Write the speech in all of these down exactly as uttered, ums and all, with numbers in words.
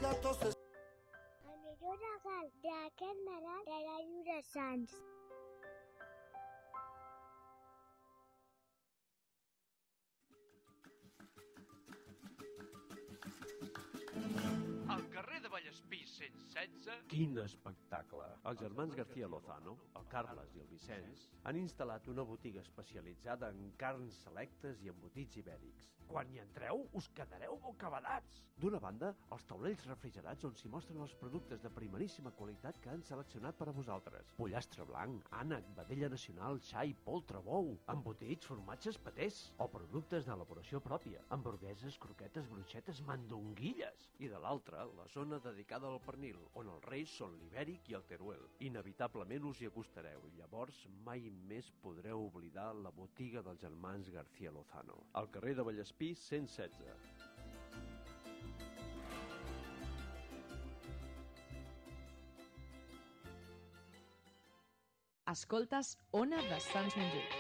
datos de... El millor regal d'aquest Nadal serà Lliure Sants. Al carrer de Vallespí cent setze... Quin espectacle! Els germans García Lozano, el Carles i el Vicenç, han instal·lat una botiga especialitzada en carns selectes i embotits ibèrics. Quan hi entreu, us quedareu bocabadats! D'una banda, els taulells refrigerats on s'hi mostren els productes de primeríssima qualitat que han seleccionat per a vosaltres. Pollastre blanc, ànec, vedella nacional, xai, poltre, bou, embotits, formatges, patés, o productes d'elaboració pròpia, hamburgueses, croquetes, bruixetes, mandonguilles. I de l'altra, la zona dedicada al pernil, on els reis són l'ibèric i el teruel. Inevitablement us hi acostareu i llavors mai més podreu oblidar la botiga dels germans García Lozano. Al carrer de Vallespí cent setze. Escoltes Ona de Sants Montjuïc.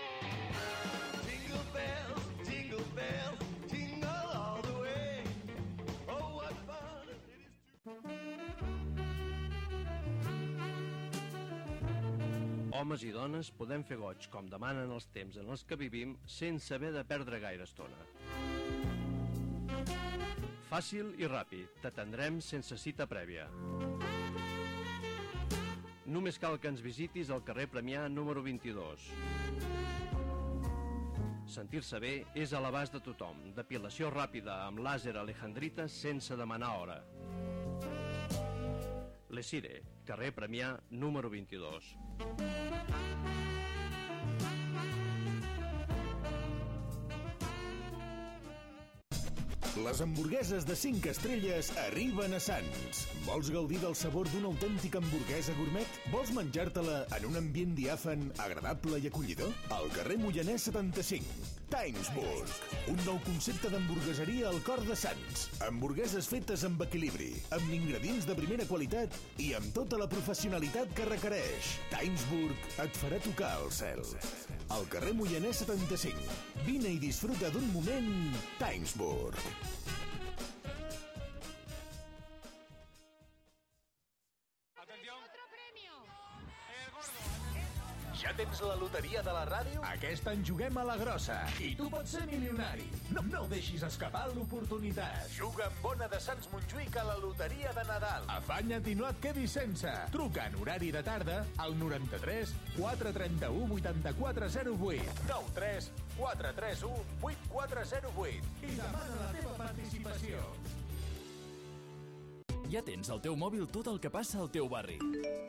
Jingle bells, jingle bells, jingle all the way. Oh, what fun it is to... Homes i dones podem fer goig com demanen els temps en els que vivim sense haver de perdre gaire estona. Fàcil i ràpid, t'atendrem sense cita prèvia. Només cal que ens visitis al carrer Premià número vint-i-dos. Sentir-se bé és a l'abast de tothom. Depilació ràpida amb làser alejandrita sense demanar hora. Lesire, carrer Premià número vint-i-dos. Les hamburgueses de cinc estrelles arriben a Sants. Vols gaudir del sabor d'una autèntica hamburguesa gourmet? Vols menjar-te-la en un ambient diàfan, agradable i acollidor? Al carrer Moianès setanta-cinc. Timesburg, un nou concepte d'hamburgueseria al cor de Sants. Hamburgueses fetes amb equilibri, amb ingredients de primera qualitat i amb tota la professionalitat que requereix. Timesburg et farà tocar el cel. Al carrer Moianès setanta-cinc. Vine i disfruta d'un moment Timesburg. Ja tens la loteria de la ràdio? Aquest any juguem a la grossa. I tu pots ser milionari. No, no deixis escapar l'oportunitat. Juga amb Ona de Sants Montjuïc a la loteria de Nadal. Afanya't i no et quedis sense. Truca en horari de tarda al noranta-tres quatre trenta-u vuitanta-quatre zero vuit. nou tres quatre tres u vuit quatre zero vuit. I demana la teva participació. Ja tens al teu mòbil tot el que passa al teu barri.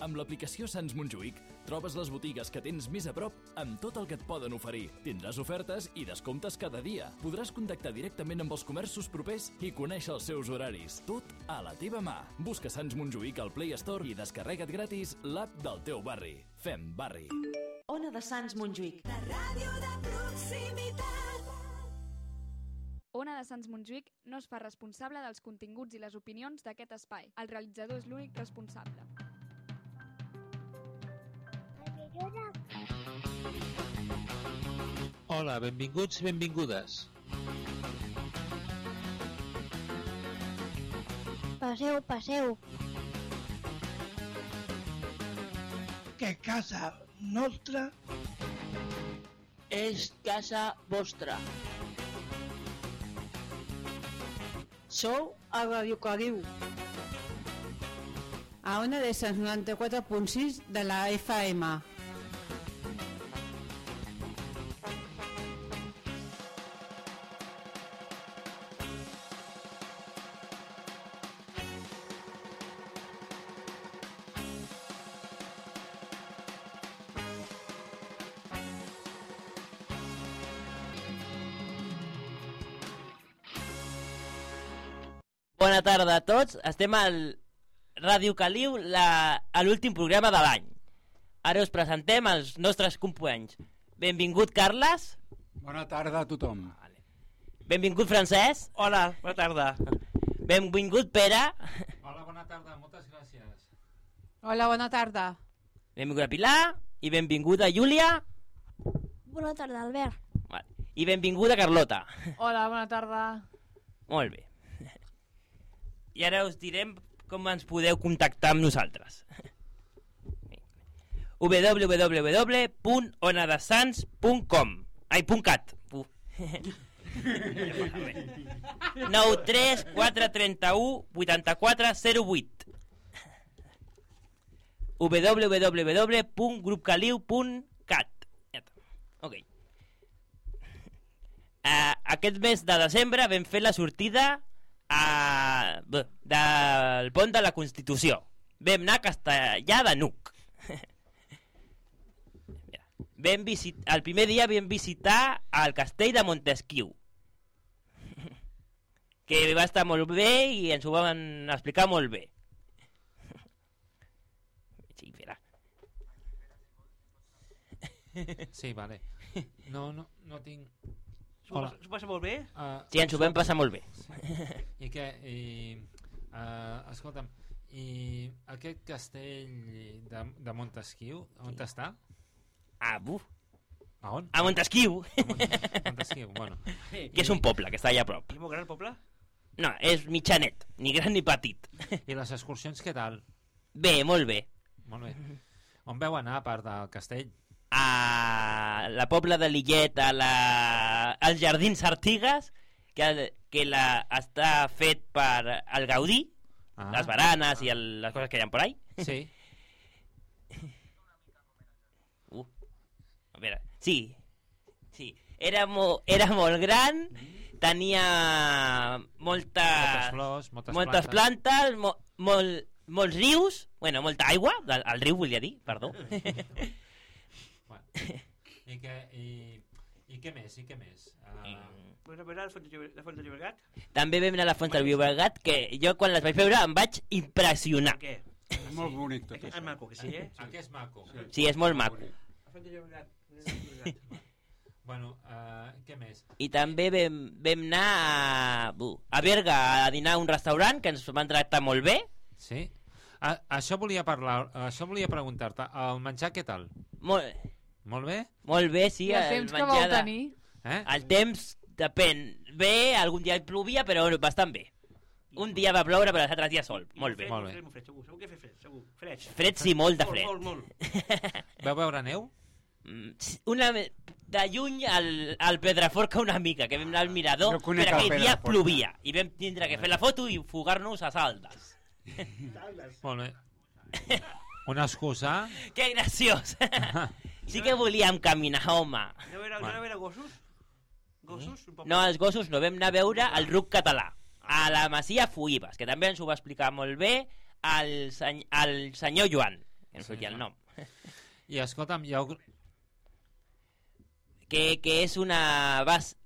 Amb l'aplicació Sants Montjuïc trobes les botigues que tens més a prop amb tot el que et poden oferir. Tindràs ofertes i descomptes cada dia. Podràs contactar directament amb els comerços propers i conèixer els seus horaris. Tot a la teva mà. Busca Sants Montjuïc al Play Store i descarrega't gratis l'app del teu barri. Fem barri. Ona de Sants Montjuïc. La ràdio de proximitat. Ona de Sants Montjuïc no es fa responsable dels continguts i les opinions d'aquest espai. El realitzador és l'únic responsable. Hola, benvinguts i benvingudes. Passeu, passeu. Que casa nostra és casa vostra. Sou a Radio Caliu. A Ona de Sants noranta-quatre punt sis de la F M. Bona tarda a tots, estem al Ràdio Caliu, la, a l'últim programa de l'any. Ara us presentem els nostres companys. Benvingut Carles. Bona tarda a tothom. Vale. Benvingut Francesc. Hola, bona tarda. Benvingut Pere. Hola, bona tarda, moltes gràcies. Hola, bona tarda. Benvinguda Pilar i benvinguda Júlia. Bona tarda, Albert. Vale. I benvinguda Carlota. Hola, bona tarda. Molt bé. I ara us direm com ens podeu contactar amb nosaltres. w w w punt onadesans punt com Ai, punt cat. Uh. nou tres quatre tres u vuit quatre zero vuit w w w punt grupcaliu punt cat. Ok. Uh, aquest mes de desembre vam fer la sortida a... Bé, del pont de la Constitució. Vam anar a Castellà de Nuc. Vam visit... El primer dia vam visitar el castell de Montesquiu, que va estar molt bé i ens ho van explicar molt bé. Sí, espera. Sí, vale. No, no, no tinc... Hola. S'ho passa molt bé? Uh, sí, ens ho vam passar molt bé. I què? I, uh, escolta'm, i aquest castell de, de Montesquiu, on sí. està? Ah, buf. A on? A Montesquiu. A Mont Montesquiu, bueno. Que és un poble, que està allà a prop. És molt gran el poble? No, és mitjanet, ni gran ni petit. I les excursions què tal? Bé, molt bé. Molt bé. On veu anar a part del castell? A la Pobla de Lillet, a la... als Jardins Artigues, que, que la... està fet per el Gaudí, ah. les baranes i el... les coses que hi ha per ahí. Sí. Uh. A veure, sí. Sí. Era, mo... era molt gran, tenia molta... moltes flors, moltes, moltes plantes, plantes mo... molt... molts rius, bueno, molta aigua, el riu volia dir, perdó. I què, i, i què més, i què més? Uh... Vas veure la Font de Llobregat? També vam anar a la Font de Llobregat, que jo quan les vaig veure em vaig impressionar. Per què? És molt bonic tot això. És maco, que sí, eh? Ah, que és maco. Sí, és molt maco. La Font de Llobregat. Bueno, uh, què més? I també vam, vam anar a, uh, a Berga a dinar a un restaurant que ens van tractar molt bé. Sí? A, això volia parlar, això volia preguntar-te, el menjar què tal? Molt... Molt bé? Molt bé, sí. I el, el temps que vau tenir? Eh? El temps depèn. Bé, algun dia plovia, però bastant bé. Un dia va ploure, però els altres dies sol. Molt bé. Molt bé. Fred, segur, segur que fer fred, segur. Fred. Fred, sí, molt de fred. Molt, molt, molt. Vau veure neu? Una, de lluny al, al Pedraforca una mica, que vam anar al mirador, no però aquell dia plovia. I vam tindre que fer la foto i fugar-nos a saldes. Molt bé. Una excusa? Que graciós. Sí que volíem caminar, home. No era, no era gossos? Gossos? No, els gossos no. Vam anar a veure el ruc català a la Masia Fuïbes, que també ens ho va explicar molt bé el, seny el senyor Joan, que no sortia el nom. I escolta'm, hi ha... Que, que és una,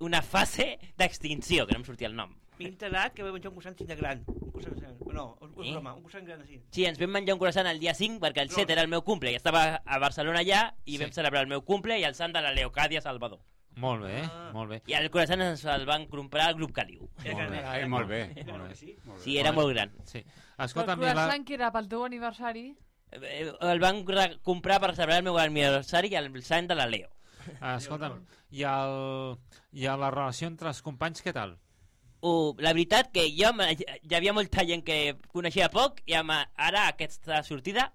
una fase d'extinció, que no em sortia el nom. M'he enterat que vam menjar un croissant de gran. Un croissant gran. No, un croissant, un croissant gran així. Sí, ens vam menjar un croissant el dia cinc perquè el set era el meu cumple i estava a Barcelona allà i sí. Vam celebrar el meu cumple i el sant de la Leocàdia Salvador. Molt bé, ah. molt bé. I el croissant ens el van comprar al Grup Caliu. Molt bé, Ai, molt bé. Molt bé. Sí, sí, era molt gran. Sí. Escolta, el croissant la... que era pel teu aniversari? El van comprar per celebrar el meu aniversari i el sant de la Leo. Escolta'm, i, el... i la relació entre els companys què tal? Uh, la veritat que jo hi havia molta gent que coneixia poc i amb, ara aquesta sortida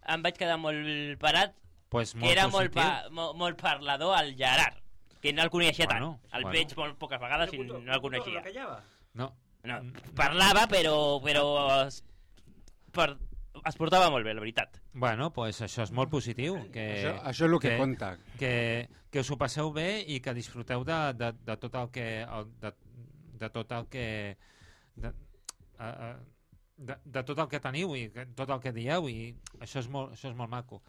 em vaig quedar molt parat pues que era molt, pa, molt, molt parlador el Gerard, que no el coneixia bueno, tant el bueno. veig molt poques vegades i no el coneixia no. No, parlava però, però es, per, es portava molt bé, la veritat. Bueno, pues això és molt positiu que, això, això és el que, que compta que, que us ho passeu bé i que disfruteu de, de, de tot el que de, de tot el que de, uh, de, de tot el que teniu i tot el que dieu i això és molt, això és molt maco.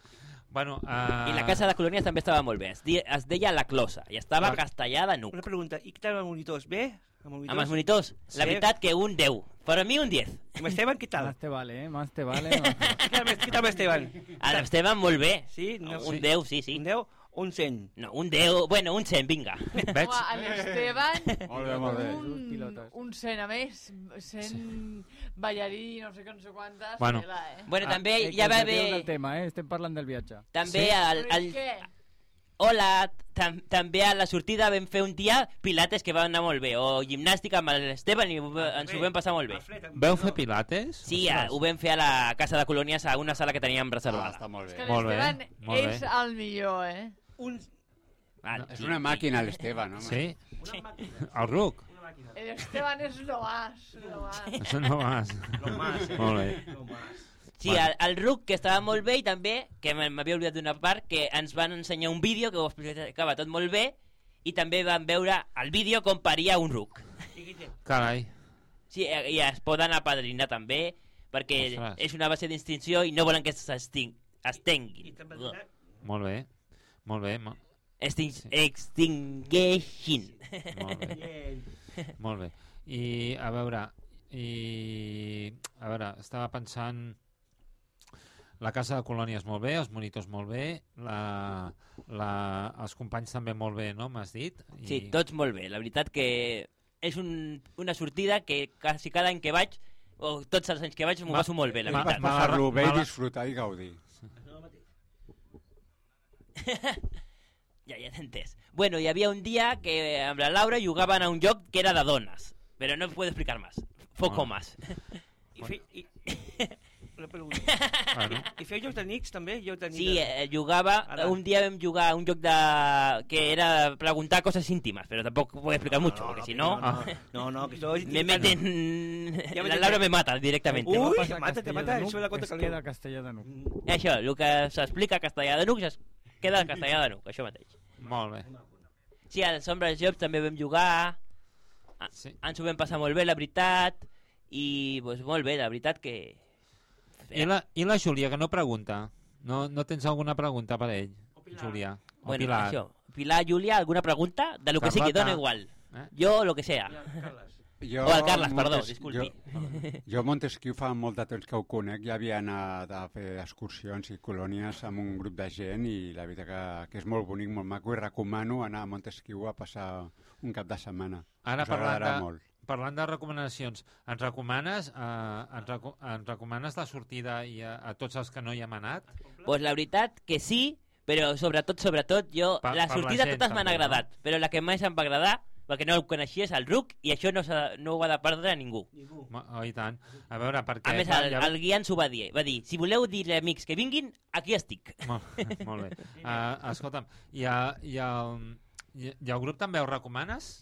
Bueno, uh... I la casa de colònies també estava molt bé, es, di, es deia La Closa i estava a Castellà de Nuc. Una pregunta, i què tal amb els monitors? Bé? Amb, monitors? amb els monitors? Sí. La veritat que un deu, per a mi un diez. I Esteban què tal? Más te vale, eh? Más te vale. Què tal amb Esteban? L'Esteban molt bé. Sí? No, un sí. deu, sí, sí. Un deu? Un cent. No, un deu, bueno, un cent, vinga. Veig? L'Esteban, molt bé, molt bé. un, un cent a més, cent ballarí, no sé què, no sé quantes. Bueno, eh? bueno també ah, ja va haver... El tema, eh? Estem parlant del viatge. També sí? el... el... Què? Hola, tam també a la sortida vam fer un dia pilates que va anar molt bé, o gimnàstica amb l'Esteban i ens ho vam passar molt bé. Veu fer pilates? Sí, a, ho vam fer a la Casa de Colònies, a una sala que teníem reservada. Ah, està molt bé. És que l'Esteban és el millor, eh? Un... Ah, és una màquina, l'Esteban, home. Sí? Una màquina. El ruc? El Esteban és lo más, lo más. Això no vas. Lo más, eh? Molt bé. Lo más. Sí, el, el ruc, que estava molt bé, i també, que m'havia oblidat d'una part, que ens van ensenyar un vídeo que ho explicava tot molt bé, i també vam veure el vídeo com paria un ruc. Carai. Sí, i es poden apadrinar també, perquè Ostres. és una base d'extinció i no volen que s'extinguin. Molt bé, molt bé. Mo... Extin extingueixin. Molt bé. Molt bé. I, a veure, i... A veure, estava pensant... La Casa de Colònies molt bé, els monitors molt bé, la, la, els companys també molt bé, no? M'has dit? I... Sí, tots molt bé. La veritat que és un, una sortida que quasi cada any que vaig, o tots els anys que vaig, m'ho passo molt bé, la veritat. Passar-lo bé, disfrutar i gaudir. Ja, ja t'he entès. Bueno, hi havia un dia que amb la Laura jugaven a un joc que era de dones, però no puedo explicar más. Foco más. I, fe, i, una pregunta. Bueno. I feia jocs de Nix, també? Jocs de Nix Sí, de... eh, jugava... Ara. Un dia vam jugar un joc de... que era preguntar cosas íntimas, pero tampoco puedo explicar mucho, no, porque no, si no... no, no, no, que eso es me meten... Ja la Laura me mata directamente. Uy, ¿no? te mata, te mata, eso es la cosa Es queda castellà de nuc. Això, el que s'explica a castellà de nuc, es queda en castellà de nuc, això mateix. Molt bé. Sí, als Sombres Jobs també vam jugar, sí. Ens ho vam passar molt bé, la veritat, i pues, molt bé, la veritat que... I la, I la Júlia, que no pregunta. No, no tens alguna pregunta per ell, Júlia? O Bueno, Pilar? això. Pilar, Júlia, alguna pregunta? De lo que sigui, Carlota. dona igual. Eh? Jo, lo que sea. Jo, o el Carles, perdó, Montes- disculpi. Jo, jo a Montesquieu fa molt de temps que ho conec, ja havia anat a fer excursions i colònies amb un grup de gent i la veritat que, que és molt bonic, molt maco, i recomano anar a Montesquieu a passar un cap de setmana. Ara Us parlant agradarà de, molt. parlant de recomanacions, ens recomanes, eh, ens, reco ens recomanes la sortida i a, a tots els que no hi hem anat? Pues la veritat que sí, però sobretot, sobretot, jo... Pa- la per la sortida gent, totes m'han també, agradat, no? però la que més em va agradar, perquè no el coneixia, és el Ruc, i això no, s'ha- no ho ha de perdre ningú. Ma- Oh, i tant. A veure, perquè... A més, el, el guia ens ho va dir. Va dir, si voleu dir amics que vinguin, aquí estic. Molt, molt bé. Uh, escolta'm, i, a, i, el, i, i el grup també ho recomanes?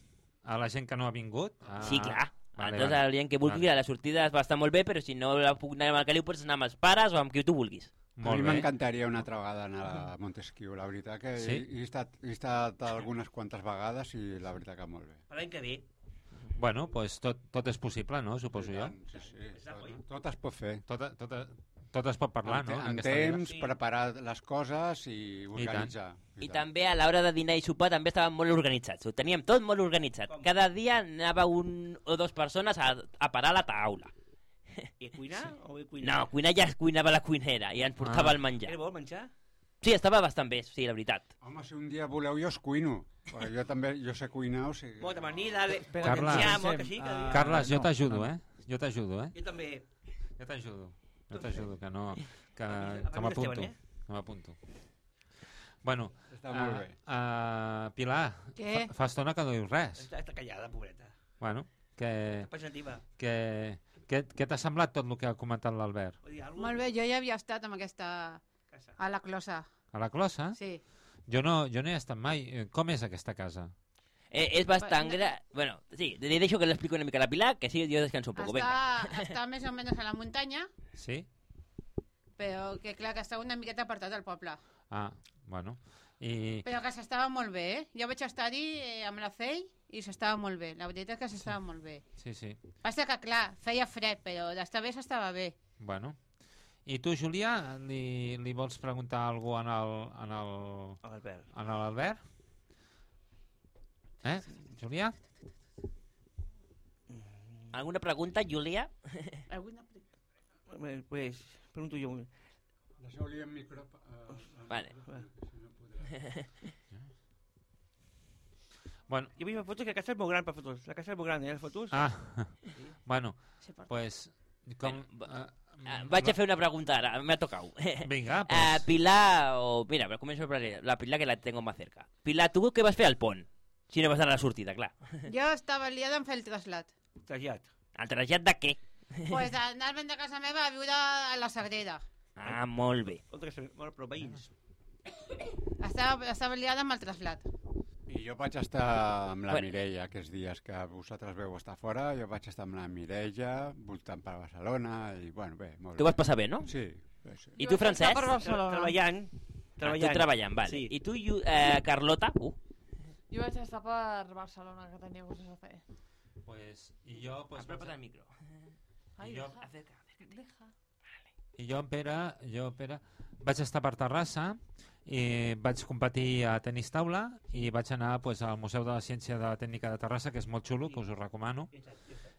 A la gent que no ha vingut? Uh, Sí, clar. Vale, Entonces, vale. la gent que vulgui, Vale. la sortida va estar molt bé, però si no la puc anar amb el Caliu, pots anar amb els pares o amb qui tu vulguis. A mi m'encantaria una altra vegada anar a Montesquieu, la veritat que Sí? he, he, estat, he estat algunes quantes vegades i la veritat que molt bé. Per l'any que ve. Bueno, pues tot, tot és possible, no? Suposo jo. Sí, sí, tot, tot es pot fer. Tot, tot, tot es pot parlar, en, no? En aquesta vida. temps, preparar les coses i organitzar. I també a l'hora de dinar i sopar també estàvem molt organitzats. Ho teníem tot molt organitzat. Cada dia anava un o dues persones a, a parar a la taula. I a cuinar o a cuinar? No, cuinar ja es cuinava la cuinera i ens portava Ah. el menjar. Era bo el menjar? Sí, estava bastant bé, sí, la veritat. Home, si un dia voleu jo us cuino. Perquè jo també, jo sé cuinar, o sigui... Molta manida, le... Carles, molt que sí, que... uh, Carles, jo t'ajudo, eh? Jo t'ajudo, eh? Jo també. Jo t'ajudo. Jo t'ajudo, que no... Que, A que mi m'apunto. l'Esteban, eh? Que m'apunto. Bueno, Està molt bé. Uh, uh, Pilar, Què? fa, fa estona que no dius res. Està, està callada, pobreta. Bueno, que... Pensativa. que què què t'ha semblat tot el que ha comentat l'Albert? Molt bé, jo ja havia estat amb aquesta... a la closa. A la closa? Sí. Jo no, jo no he estat mai. Eh, Com és aquesta casa? Eh, és bastant gran... Bueno, sí, li deixo que l'explico una mica a la Pilar, que sí, jo descanso un poco. Venga. Està, està més o menys a la muntanya, Sí? però que clar que està una miqueta apartat del poble. Ah, bueno. I... Però que s'estava molt bé, eh? Jo vaig estar-hi eh, amb la Fei i s'estava molt bé. La veritat és que s'estava molt bé. Sí, sí. Passa que, clar, feia fred, però d'estar bé s'estava bé. Bueno. I tu, Julià, li, li vols preguntar alguna cosa en el... En el... Albert. En l'Albert? Eh, Julià? Alguna pregunta, Júlia? Alguna pregunta? Pues, pregunto jo. Deixeu-li el micro... Uh, vale. Si no podrà. Bueno. Jo veig fotos que la casa és molt gran per fotos. La casa és molt gran, eh, les fotos. Ah, bueno, Sí, per- pues... Com, uh, Uh, vaig a fer una pregunta ara, m'ha tocat. Vinga, pues. Uh, Pilar, o... Mira, però començo per la Pilar, que la tengo más cerca. Pilar, tu què vas fer al pont? Si no vas anar a la sortida, clar. Jo estava liada en fer el trasllat. Trasllat. El trasllat de què? Pues anar-me'n de casa meva a viure a la Sagrera. Ah, molt bé. Molt però veïns. Estava, estava liada amb el trasllat. I jo vaig estar amb la Bueno. Mireia aquests dies que vosaltres veu estar fora, jo vaig estar amb la Mireia voltant per Barcelona i bueno, bé, molt Tu vas passar bé, no? Sí. bé, sí. I tu, Francesc? Per Barcelona. Treballant. Ah, tu treballant, vale. Sí. I tu, eh, Carlota? Uh. Jo vaig estar per Barcelona, que tenia coses a fer. Pues, i jo... Pues, Apropa't al micro. Ai, I jo, deja, Acerca, acerca. deja. I jo, en Pere, jo, Pere, vaig estar per Terrassa i vaig competir a tenis taula i vaig anar pues, al Museu de la Ciència de la Tècnica de Terrassa, que és molt xulo, que us ho recomano,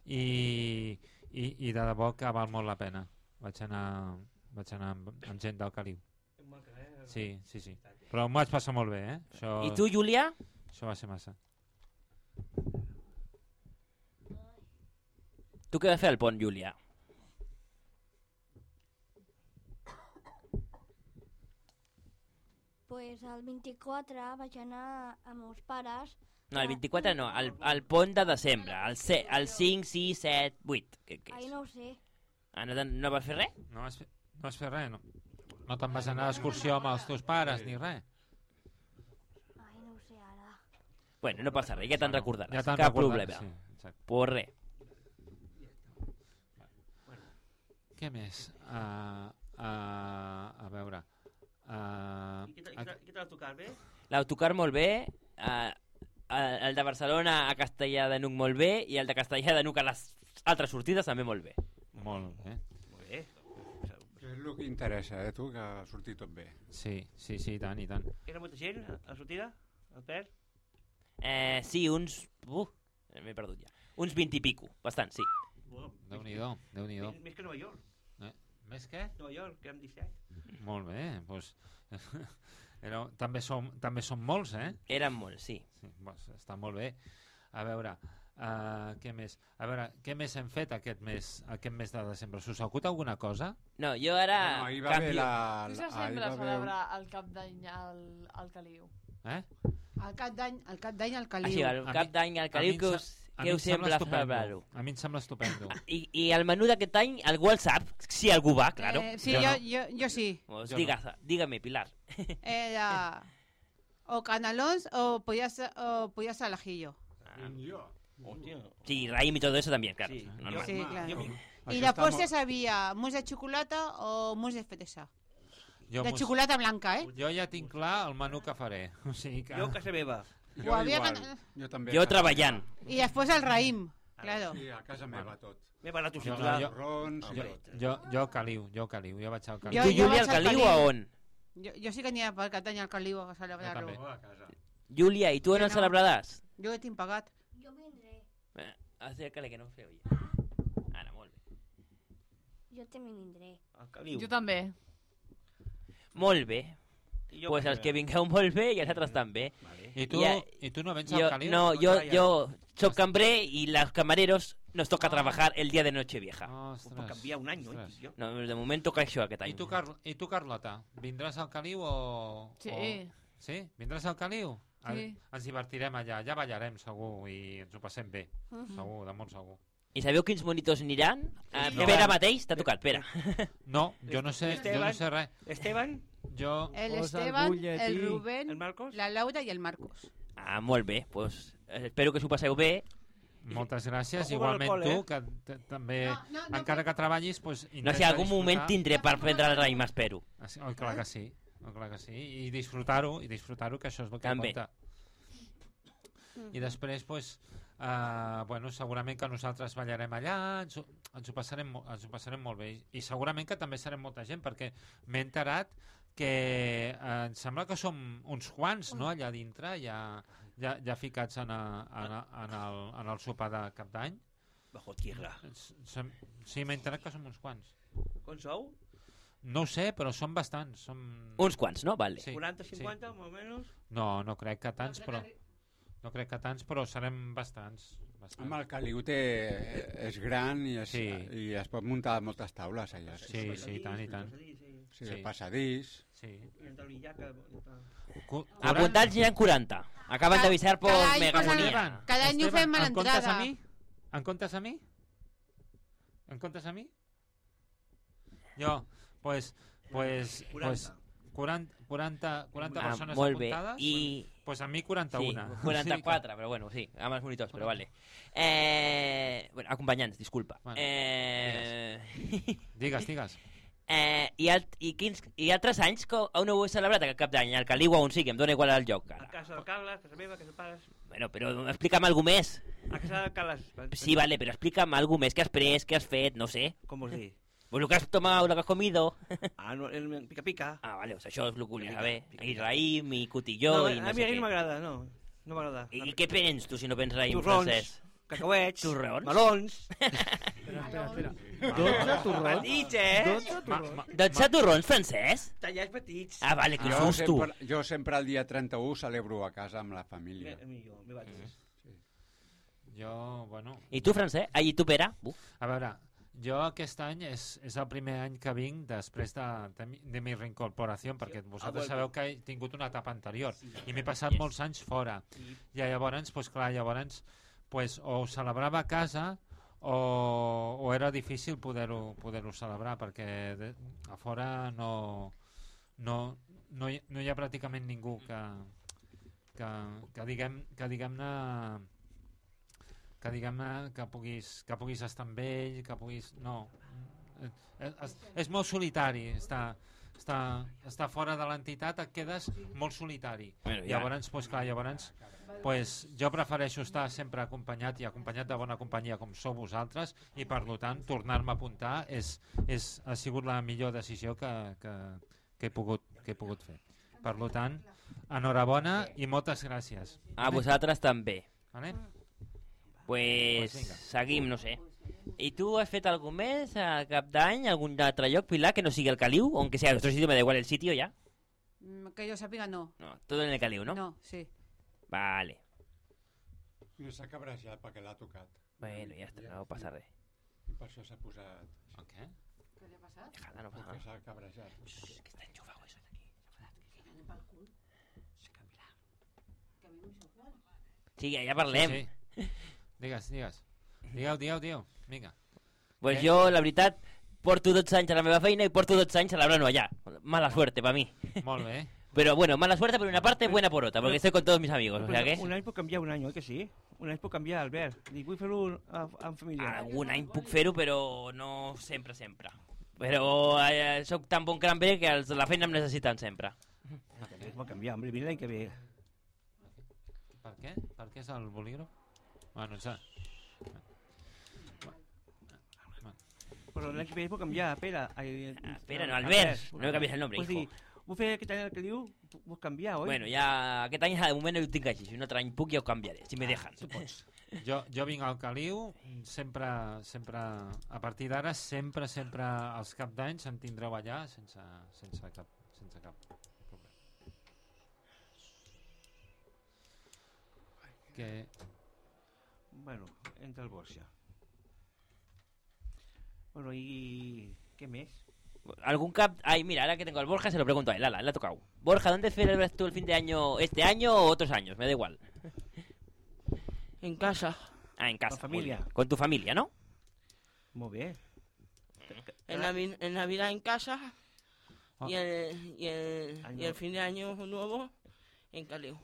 i, i, i de debò que val molt la pena. Vaig anar, vaig anar amb, amb gent del Caliu. Sí, sí, sí. Però m'ho vaig passar molt bé, eh? Això, I tu, Júlia? Això va ser massa. Tu què vas fer al pont, Júlia? Pues el vint-i-quatre vaig anar amb meus pares. No, el vint-i-quatre no, el, el pont de desembre, el, ce, el cinc, sis, set, vuit. Què, què Ai, és? no ho sé. Ah, no, no vas fer res? No vas fer, no vas fer res, no? No te'n vas anar d'excursió amb els teus pares ni res? Ai, no ho sé ara. Bueno, no passa res, ja te'n recordaràs. Ja te'n Cap recordaràs, problema. sí, exacte. Pues res. Què més? Uh, uh, a veure... Uh, I què tal l'autocar, bé? L'autocar molt bé, uh, el de Barcelona a Castellà de Nuc molt bé i el de Castellà de Nuc a les altres sortides també molt bé. Molt bé. Molt bé. És el que interessa, eh, tu, que ha sortit tot bé. Sí, sí, sí, i tant, i tant. Era molta gent a la sortida? Al Pert? Eh, sí, uns... Uh, m'he perdut ja. Uns vint i pico, bastant, sí. Bueno, Déu-n'hi-do, Déu-n'hi-do. Més, més que Nova York. Eh? Més què? Nova York, que érem disset. Molt bé, doncs... Era, també, som, també som molts, eh? Eren molts, sí. sí doncs, està molt bé. A veure, uh, què més? A veure, què més hem fet aquest mes, aquest mes de desembre? S'us acut alguna cosa? No, jo ara... No, ahir va haver canvio... la... Qui la- s'assembla ahir a va haver- celebrar el cap d'any al, al Caliu? Eh? El cap d'any al cap d'any al Ah, Caliu. sí, el A cap mi- d'any al a mi Caliu, em que sa- us, a que mi em us sembla sembla estupendo. celebrar-ho? A mi em sembla estupendo. I, I el menú d'aquest any, algú el sap? Si algú va, claro. Eh, sí, Jo jo, no. jo, jo sí. Pues Jo diga, dígame, Pilar. Era o canelons o pollas, o pollas al ajillo. Hòstia. Sí, raïm i todo eso también, claro. Sí, normal. Sí, claro. Jo, Y Això la està postres molt- había mousse de xocolata o mousse de fresa. Jo, De mos- xocolata blanca, eh? jo ja tinc clar el menú que faré. O sigui que... jo a casa meva. Jo, Ho havia igual. can- jo també. Jo treballant. Y después el raïm, claro. Sí, a casa meva tot. M'he parlat un Jo, ciutadà. jo- Rons, Jo, jo, jo Caliu, jo Caliu, jo vaig al Caliu. Jo- Tu, Júlia, vaig al al Caliu Caliu. a on? Jo, jo sí que aniria pel cap d'any al Caliu a celebrar-lo. Jo també. a casa. Júlia, i tu on Jo el no. celebraràs? Jo ho tinc pagat. Jo vindré. Eh, acércale, que no se oye. Ara, molt bé. Jo també vindré. Al Caliu. Jo també. Molt bé. I jo Pues a els casa que meva. vingueu molt bé i els altres també. Vale. I tu, Ja- I tu no vens Jo, al Caliu? no, No yo, vaya. yo soy cambrer y los camareros nos toca trabajar el día de Nochevieja. Pues per Ostres, canviar un any, oi? ostres. Jo. No, de moment toca això aquest I any. tu, Car I tu, Carlota, vindràs al Caliu o... Sí. O... Sí? Vindràs al Caliu? Sí. Ens divertirem allà, ja ballarem segur i ens ho passem bé, Mhm. segur, de molt segur. I sabeu quins monitos aniran? Uh, No. Pere mateix, t'ha tocat, Pere. No, jo no sé, jo no sé res. Esteban, Jo... El Posa el Esteban, butlletí. el Rubén, el Marcos. la Laura i el Marcos. Ah, molt bé, pues, eh, espero que s'ho passeu bé. Moltes gràcies, Ojo igualment con l'alcohol, tu, que t- també, No, no, no, encara que treballis, pues, No sé, intenta algun moment disfrutar. tindré per prendre el raïm, espero. Ah, sí? Oh, clar que sí, oh, clar que sí. I disfrutar-ho, i disfrutar-ho, que això és el que També. compta. I després, pues, uh, bueno, segurament que nosaltres ballarem allà, ens, ho- ens, ho passarem, mo- ens ho passarem molt bé. I segurament que també serem molta gent, perquè m'he enterat que eh, em sembla que som uns quants, no?, allà dintre, ja, ja, ja ficats en, a, en, a, en, el, en el sopar de cap d'any. Bajo tierra. S- sem- Sí, m'he enterat que som uns quants. Com sou? No ho sé, però són bastants. Som... Uns quants, no? Vale. Sí, quaranta, sí. cinquanta, més o menys? No, no crec que tants, però... No crec que tants, però serem bastants. Amb el caliu té, és gran i es, sí. i es pot muntar moltes taules allà. Sí, sí, sí, tant i tant. Sí, el passadís. Sí. Apuntats ja en quaranta. Acaben d'avisar per Megafonia. Cada any ho fem a l'entrada. En comptes a mi? En comptes a mi? Jo, pues, pues, pues quaranta, quaranta, quaranta ah, persones molt bé. apuntades, I... pues a mi quaranta-una. Sí, quaranta-quatre, però bueno, sí, amb els monitors, però vale. Eh... Bueno, acompanyants, disculpa. Bueno, eh... Digues, digues. Eh, i, alt, i, quins, I altres anys que on ho heu celebrat aquest cap d'any? Al Caliu o on sigui, em dóna igual el lloc. Ara. A casa del Carles, a casa meva, a casa pares. Bueno, però explica'm alguna més. A casa del Carles. Sí, vale, però explica'm alguna més que has pres, que has fet, no sé. Com vols dir? Pues lo que has tomado, lo que has comido. Ah, no, el pica pica. Ah, vale, o sea, això és el que volia saber. I raïm, i cotilló, no, i no a sé mi què. no m'agrada, no. No m'agrada. I, I què prens tu si no prens raïm Torrons, francès? cacauets, Torrons? melons. Espera, espera, espera. dotze torrons? Petits, eh? dotze torrons? dotze torrons francès? Tallats petits. Ah, vale, que jo susto. sempre, jo sempre el dia trenta-u celebro a casa amb la família. Mi, jo, mi vaig. Sí. Jo, bueno... I tu, francès? Ah, i tu, Pere? Uf. A veure, jo aquest any és, és el primer any que vinc després de, de, mi, de mi reincorporació, perquè vosaltres sabeu que he tingut una etapa anterior i m'he passat Yes. molts anys fora. I llavors, pues, clar, llavors pues, o ho celebrava a casa o, o era difícil poder-ho poder-ho celebrar, perquè de, a fora no, no, no, hi, no hi ha pràcticament ningú que, que, que diguem que diguem-ne que diguem-ne que puguis, que puguis estar amb ell, que puguis... No, és, és, és molt solitari, està, està, està fora de l'entitat, et quedes molt solitari. Bueno, ja. Llavors, pues, clar, llavors pues, jo prefereixo estar sempre acompanyat i acompanyat de bona companyia com sou vosaltres i per tant tornar-me a apuntar és, és, ha sigut la millor decisió que, que, que, he, pogut, que he pogut fer. Per tant, enhorabona i moltes gràcies. A vosaltres també. Vale? Pues, Pues vinga. seguim, no sé. I tu has fet algun més a cap d'any, algun altre lloc, Pilar, que no sigui el Caliu? Aunque sea otro sitio, me da igual el sitio ya. Mm, Que jo sàpiga, no. No, todo en el Caliu, ¿no? No, sí. Vale. No s'ha cabrejat perquè l'ha tocat. Bueno, ja està, no passa res. I per això s'ha posat... El què? Què li ha passat? Déjala, no passa Perquè nada. s'ha cabrejat. Shh, que está enchufado eso de aquí. Que anem pel cul. Que a mi m'ho Sí, ja, ja parlem. Sí, sí. Digues, digues. Digueu, digueu, digueu. Vinga. Pues Eh? jo, la veritat, porto dotze anys a la meva feina i porto dotze anys celebrant-ho allá. Mala suerte para mí. Molt bé. Pero bueno, mala suerte por una parte, buena por otra, porque estoy con todos mis amigos, o sea que... Un any pot canviar un any, oi que sí? Un any pot canviar, Albert. Dic, vull fer-ho en família. Algun any puc fer-ho, però no sempre, sempre. Però eh, soc tan bon cranber que els de la feina em necessiten sempre. Pot canviar, home, vine l'any que ve. Per què? Per què és el bolígraf? Bueno, ja... Però l'any que ve pot canviar, Pere. Ai, Ah, Pere, no, Albert. No me canvies el nombre, Vols hijo. dir, vull fer aquest any el que diu, vull canviar, oi? Bueno, ja aquest any de moment no ho tinc així. Si un altre any puc ja ho canviaré, si me dejan. Tu pots. Jo, jo vinc al Caliu, sempre, sempre, a partir d'ara, sempre, sempre, als cap d'any se'n tindreu allà sense, sense, cap, sense cap problema. Que... Bueno, entra el Borja. Bueno, y... ¿qué mes? ¿Algún cap? Ay, mira, ahora que tengo al Borja se lo pregunto a él. Ala, le ha tocado. Borja, ¿dónde celebras tú el fin de año? ¿Este año o otros años? Me da igual. En casa. Ah, en casa. Con familia. muy bien. Con tu familia, ¿no? Muy bien. En, Navi- en Navidad en casa Ah. y, el, y, el, Año- y el fin de año nuevo en Caliu.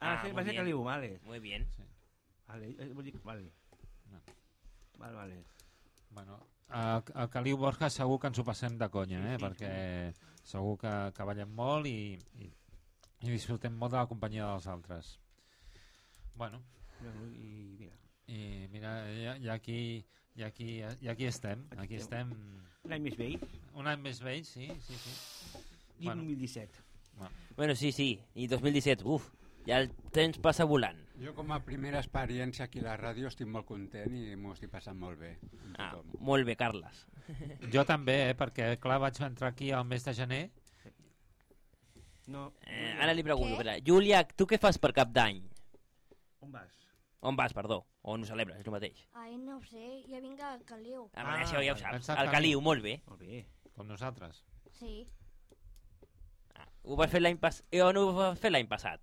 Ah, Ah, sí, muy va a ser bien. Caliu, vale. Muy bien. Vale, eh, vull dir, vale. No. Vale, vale. Bueno, a, a Caliu Borja segur que ens ho passem de conya, eh? Perquè segur que, que ballem molt i, i, i disfrutem molt de la companyia dels altres. Bueno, Bueno, i mira. i mira, i, i, aquí, i, aquí, i aquí estem, aquí estem... Un any més vell. Un any més vell, sí, sí, sí. I dos mil disset. Bueno. Bueno, sí, sí. I dos mil disset, uf, ja el temps passa volant. Jo com a primera experiència aquí a la ràdio estic molt content i m'ho estic passant molt bé. amb Ah, tothom. molt bé, Carles. Jo també, eh? Perquè, clar, vaig entrar aquí al mes de gener. No. Eh, ara li pregunto, espera. Júlia, tu què fas per cap d'any? On vas? On vas, perdó? On ho celebres, és el mateix? Ai, no ho sé, jo vinc al Caliu. Ah, ah això ja ho saps. pensava El que- Caliu, molt bé. Molt bé. Com nosaltres. Sí. Ho vas fer l'any passat. I on ho vas fer l'any passat?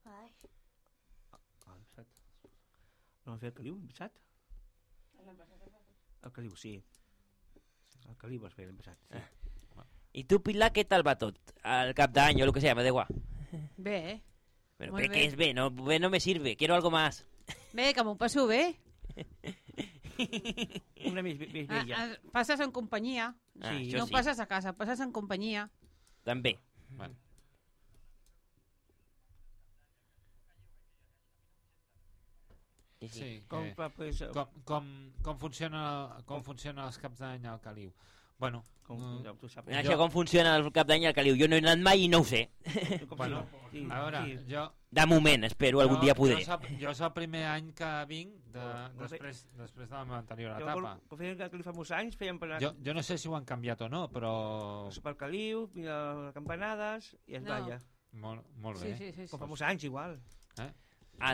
Ai. Ah, l'any passat. No vam fer el Caliu, l'any passat? El Caliu, sí. El Caliu vas fer l'any passat, sí. I tu, Pilar, què tal va tot? El cap d'any o el que sea, me da igual. Bé, eh? Pero Molt ¿qué, bé. ¿qué es B? No, B no me sirve, quiero algo más. Bé, que m'ho passo bé. Una més, més Ah, bella. ah, passes en companyia. Ah, Sí. això No sí. passes a casa, passes en companyia. També. Bueno. Sí, sí. Sí, Com que- fa, pues, eh, com, com, com, funciona, com funciona els caps d'any al Caliu? Bueno, Com, mm, ja, tu saps. Això com funciona el cap d'any al Caliu. Jo no he anat mai i no ho sé. bueno, Sí, a veure, sí. jo... De moment, espero algun jo- dia poder. Jo és, el, jo és el primer any que vinc de, Molt bé. després, després de la meva anterior Jo, etapa. quan- quan fèiem el Caliu fa molts anys, fèiem per, Jo, jo no sé si ho han canviat o no, però... per Caliu, mira les campanades i es No. balla. Molt, molt Sí, bé. sí, sí. sí. Com fa molts anys, igual. Eh?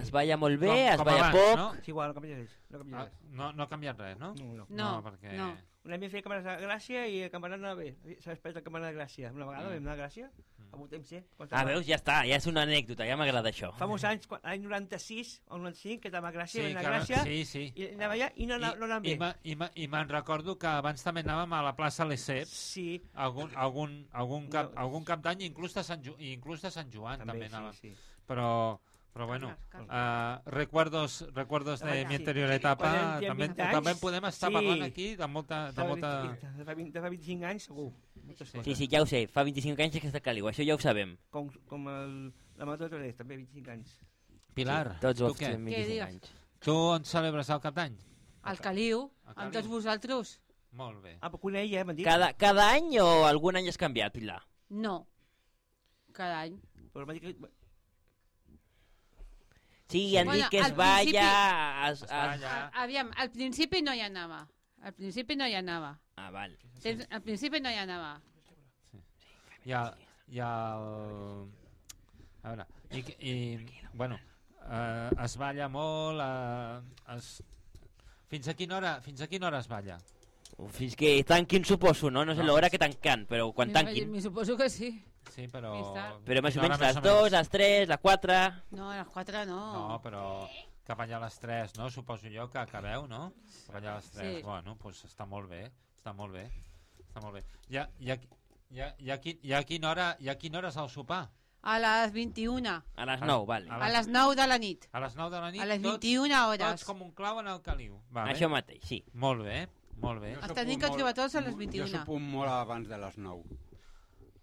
Es balla molt bé, Com- es com balla abans, poc. no? És igual, no canvia res. No canvia Ah, res. no, no ha canviat res, no? No, no. No, perquè... no. Un any vam fer campanades de Gràcia i el campanat no anava bé. S'ha esperat la campanada de Gràcia. Una vegada Mm. vam anar a Gràcia, a un temps, sí. quan Ah, estava- veus, ja està, ja és una anècdota, ja m'agrada això. Fa molts anys, quan- l'any noranta-sis o noranta-cinc, que estava a Gràcia, Sí, vam anar que- a Gràcia, sí, sí. i anava allà i no, no, no anàvem I, bé. me- i, me- i me'n recordo que abans també anàvem a la plaça Lesseps, Sí. algun, algun, algun, cap, No. algun cap d'any, inclús de Sant, Ju inclús de Sant Joan també, També, anàvem. sí, sí. Però, però bueno, uh, recuerdos, recuerdos de Abans, mi sí. anterior Quan etapa, teníem també, vint anys, també podem estar sí. parlant aquí de molta... De De, molta... de, fa, vint, de fa vint-i-cinc anys, segur. Moltes coses. Sí, sí, ja ho sé, fa vint-i-cinc anys que està a Caliu, això ja ho sabem. Com, com el, la Marató de Torres, també vint-i-cinc anys. Pilar, Tots tu els què? tenen Què vint-i-cinc digues? anys. Tu on celebres el cap d'any? Al Caliu, Al amb Caliu. tots vosaltres. Molt bé. Ah, però que una ella, m'han dit. Cada, cada any o algun any has canviat, Pilar? No. Cada any. Però m'han dit que... Sí, han Bueno, dit que es al balla... Es, Es es... balla. A, aviam, al principi no hi anava. Al principi no hi anava. Ah, val. Tens- Al principi no hi anava. Hi ha, hi ha el... A veure, i, i bueno, eh, es balla molt, eh, es... Fins a quina hora, fins a quina hora es balla? Fins que tanquin, suposo, no? No sé No, l'hora és- que tanquen, però quan Mi- tanquin. Mi suposo que sí. Sí, però... Més tard. Però més o Quina menys hora les més o dues, menys? les tres, les quatre... No, a les quatre no. No, però cap allà a les tres, no? Suposo jo que acabeu, no? Cap allà a les tres. Sí. Bueno, doncs està molt bé, està molt bé, està molt bé. I a, i a, i a, i a, qui- i a quina hora, i a quina hora és el sopar? A les vint-i-una. A les nou, vale. A les nou de la nit. A les nou de la nit? A les tots- vint-i-una hores. Tots com un clau en el caliu. Vale. Això mateix, sí. Molt bé, molt bé. Els tenim que trobar tots a les vint-i-una. Jo sopo molt abans de les nou.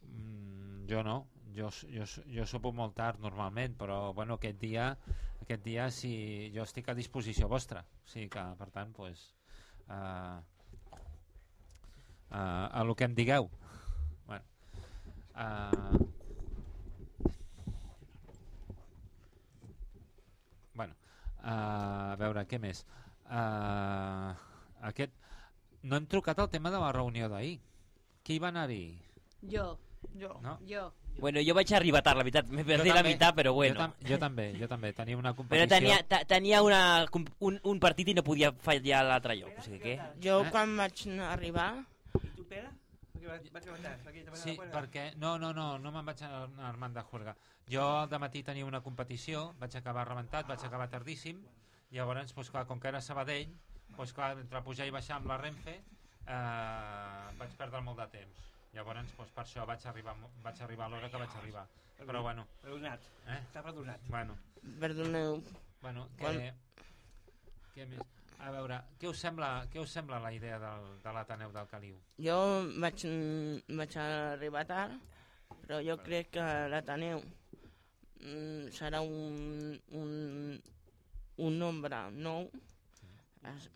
Mm, jo no, jo, jo, jo sopo molt tard normalment, però bueno, aquest dia, aquest dia sí, jo estic a disposició vostra. O sigui que, per tant, pues, uh, uh, a lo que em digueu. Bueno, uh, bueno uh, a veure, què més? Uh, aquest... No hem trucat al tema de la reunió d'ahir. Qui va anar-hi? Jo. Jo. No? Jo. Bueno, jo vaig arribar tard, la veritat. M'he perdut la meitat, però bueno. Jo, tam jo també, jo també. Tenia una Però competició... tenia, ta- tenia una, un, un partit i no podia fallar l'altre lloc. O sigui que... Jo Eh? quan vaig arribar... I tu, Pere? Perquè va, va treballar. Perquè te va Sí, anar a perquè... No, no, no, no me'n vaig anar a Armand de Juerga. Jo al matí tenia una competició, vaig acabar rebentat, vaig acabar tardíssim, i llavors, doncs, clar, com que era Sabadell, doncs, clar, entre pujar i baixar amb la Renfe, eh, vaig perdre molt de temps. Llavors, doncs, per això vaig arribar, vaig arribar a l'hora que vaig arribar. Però, bueno... Perdonat. Eh? Està perdonat. Bueno. Perdoneu. Bueno, que... Quan- Què més? A veure, què us sembla, què us sembla la idea del, de l'Ateneu del Caliu? Jo vaig, vaig arribar tard, però jo crec que l'Ateneu mm, serà un, un, un nombre nou. Es,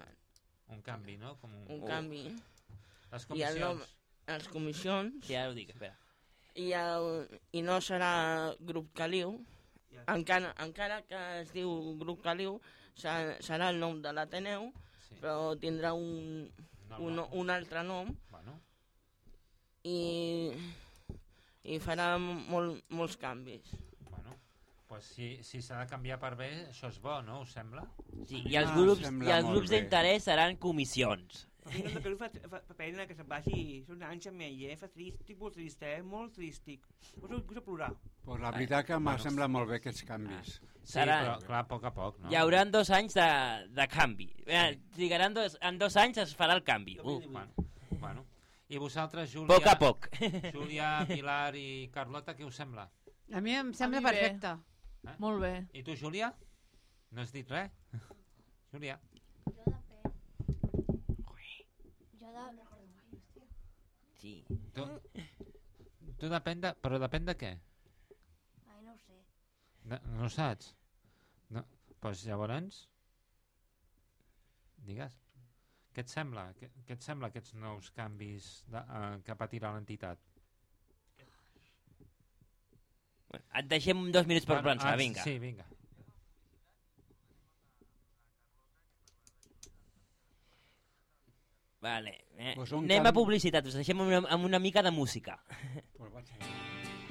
Un canvi, no? Com un, un oh. canvi. Les I el nom, comissions. les comissions. Sí, ara ho dic, espera. I, el, I no serà Grup Caliu, encara, encara que es diu Grup Caliu, serà, serà el nom de l'Ateneu, sí. Però tindrà un, No, un, no. un altre nom. Bueno. I, i farà molt, molts canvis. Bueno, Pues si si s'ha de canviar per bé, això és bo, no? Us sembla? Sí, i els grups, i els grups d'interès seran comissions. Vinga, que fa, fa, fa pena que se'n vagi. Són anys amb ell, eh? Fa trist, estic molt trist, eh? Molt tristic. Poso a plorar. Pues la veritat que m'ha semblat molt bé aquests canvis. Sí, però clar, a poc a poc, no? Hi haurà dos anys de, de canvi. Sí. Trigaran dos, en dos anys es farà el canvi. Uh. Bueno, bueno. I vosaltres, Júlia... Poc a poc. Júlia, Pilar i Carlota, què us sembla? A mi em sembla mi bé. perfecte. Eh? Molt bé. I tu, Júlia? No has dit res? Júlia? Jo de... Sí. Tu, tu depèn de... Però depèn de què? Ai, no ho sé. No, no ho saps? No. Pues llavors... Digues. Què et sembla? Què, què et sembla aquests nous canvis de, uh, que patirà l'entitat? Et deixem dos minuts per Bueno, pensar, ah, vinga. Sí, vinga. Vale. Eh, Pues un anem canvi- a publicitat, us deixem amb una, amb una mica de música.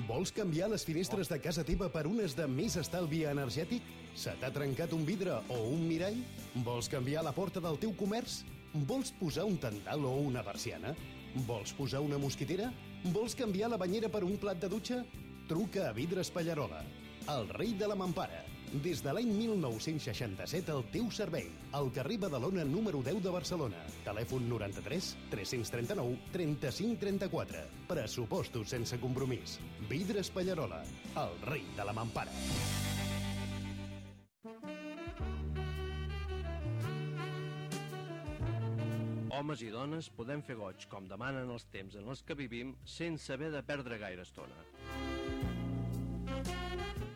Vols canviar les finestres de casa teva per unes de més estalvi energètic? Se t'ha trencat un vidre o un mirall? Vols canviar la porta del teu comerç? Vols posar un tendal o una persiana? Vols posar una mosquitera? Vols canviar la banyera per un plat de dutxa? Truca a Vidres Pallarola, el rei de la mampara. Des de l'any mil nou-cents seixanta-set al teu servei. Al carrer Badalona número deu de Barcelona. Telèfon noranta-tres tres-cents trenta-nou trenta-cinc trenta-quatre. Pressupostos sense compromís. Vidres Pallarola, el rei de la mampara. Homes i dones podem fer goig com demanen els temps en els que vivim sense haver de perdre gaire estona.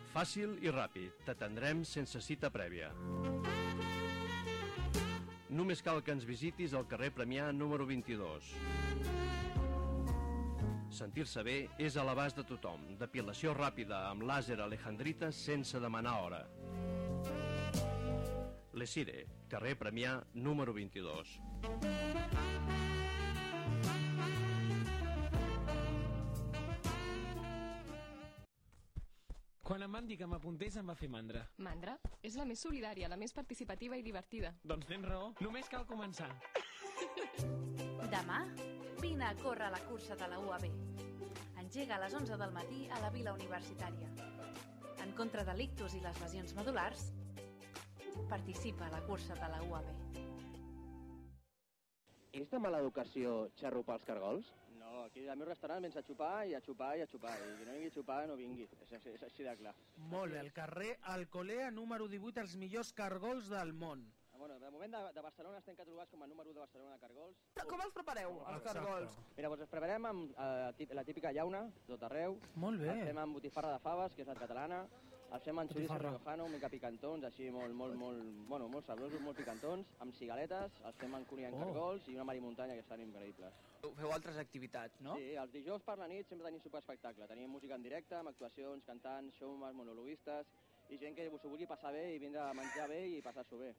Fàcil i ràpid, t'atendrem sense cita prèvia. Només cal que ens visitis al carrer Premià número vint-i-dos. Sentir-se bé és a l'abast de tothom. Depilació ràpida amb làser alejandrita sense demanar hora. Lesire, carrer Premià número vint-i-dos. Quan em van dir que m'apuntés em va fer mandra. Mandra? És la més solidària, la més participativa i divertida. Doncs tens raó, només cal començar. Demà, vine a córrer a la cursa de la U A B. Engega a les onze del matí a la Vila Universitària. En contra de l'ictus i les lesions medulars, participa a la cursa de la U A B. És de mala educació xarrupar els cargols? No, aquí al meu restaurant vens a xupar i a xupar i a xupar. I qui no vingui a xupar no vingui. És, és, és així de clar. Molt bé, al carrer Alcolea número divuit, els millors cargols del món. Bueno, de moment de, de Barcelona estem catalogats com a número u de Barcelona de cargols. Com els prepareu, els cargols? Mira, doncs els preparem amb eh, la típica llauna, tot arreu. Molt bé. Els fem amb botifarra de faves, que és la catalana. Els fem amb xoriço riojano, una mica picantons, així molt, molt, molt, bueno, molt sabrosos, molt picantons, amb cigaletes, els fem amb cuní en Oh. cargols i una marimuntanya que estan increïbles. Feu altres activitats, no? Sí, els dijous per la nit sempre tenim superespectacle. Tenim música en directe, amb actuacions, cantants, showmans, monologuistes, i gent que s'ho vulgui passar bé i vindre a menjar bé i passar-s'ho bé.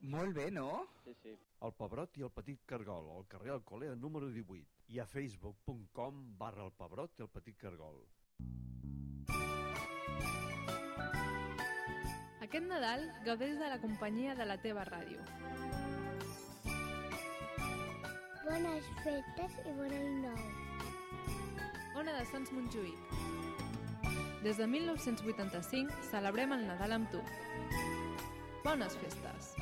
Molt bé, no? Sí, sí. El Pebrot i el Petit Cargol, al carrer Alcolea número divuit, i a facebook punt com barra el Pebrot i el Petit Cargol. Aquest Nadal gaudeix de la companyia de la teva ràdio. Bones festes i bon any nou. Ona de Sants Montjuïc. Des de mil nou-cents vuitanta-cinc celebrem el Nadal amb tu. Bones festes.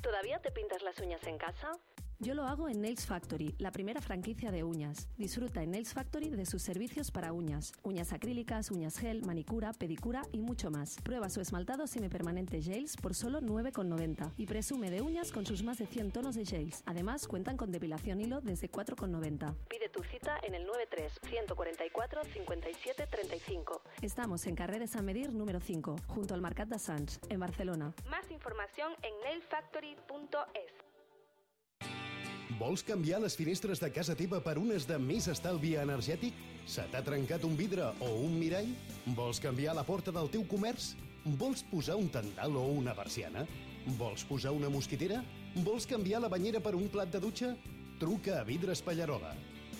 ¿Todavía te pintas las uñas en casa? Yo lo hago en Nails Factory, la primera franquicia de uñas. Disfruta en Nails Factory de sus servicios para uñas. Uñas acrílicas, uñas gel, manicura, pedicura y mucho más. Prueba su esmaltado semipermanente gels por solo nueve con noventa y presume de uñas con sus más de cien tonos de gels. Además, cuentan con depilación hilo desde cuatro con noventa. Pide tu cita en el nueve tres, uno cuatro cuatro, cinco siete tres cinco. Estamos en carrer de Sant Medir número cinco, junto al Mercat de Sants, en Barcelona. Más información en nail factory punto es. Vols canviar les finestres de casa teva per unes de més estalvi energètic? Se t'ha trencat un vidre o un mirall? Vols canviar la porta del teu comerç? Vols posar un tendal o una persiana? Vols posar una mosquitera? Vols canviar la banyera per un plat de dutxa? Truca a Vidres Pallarola,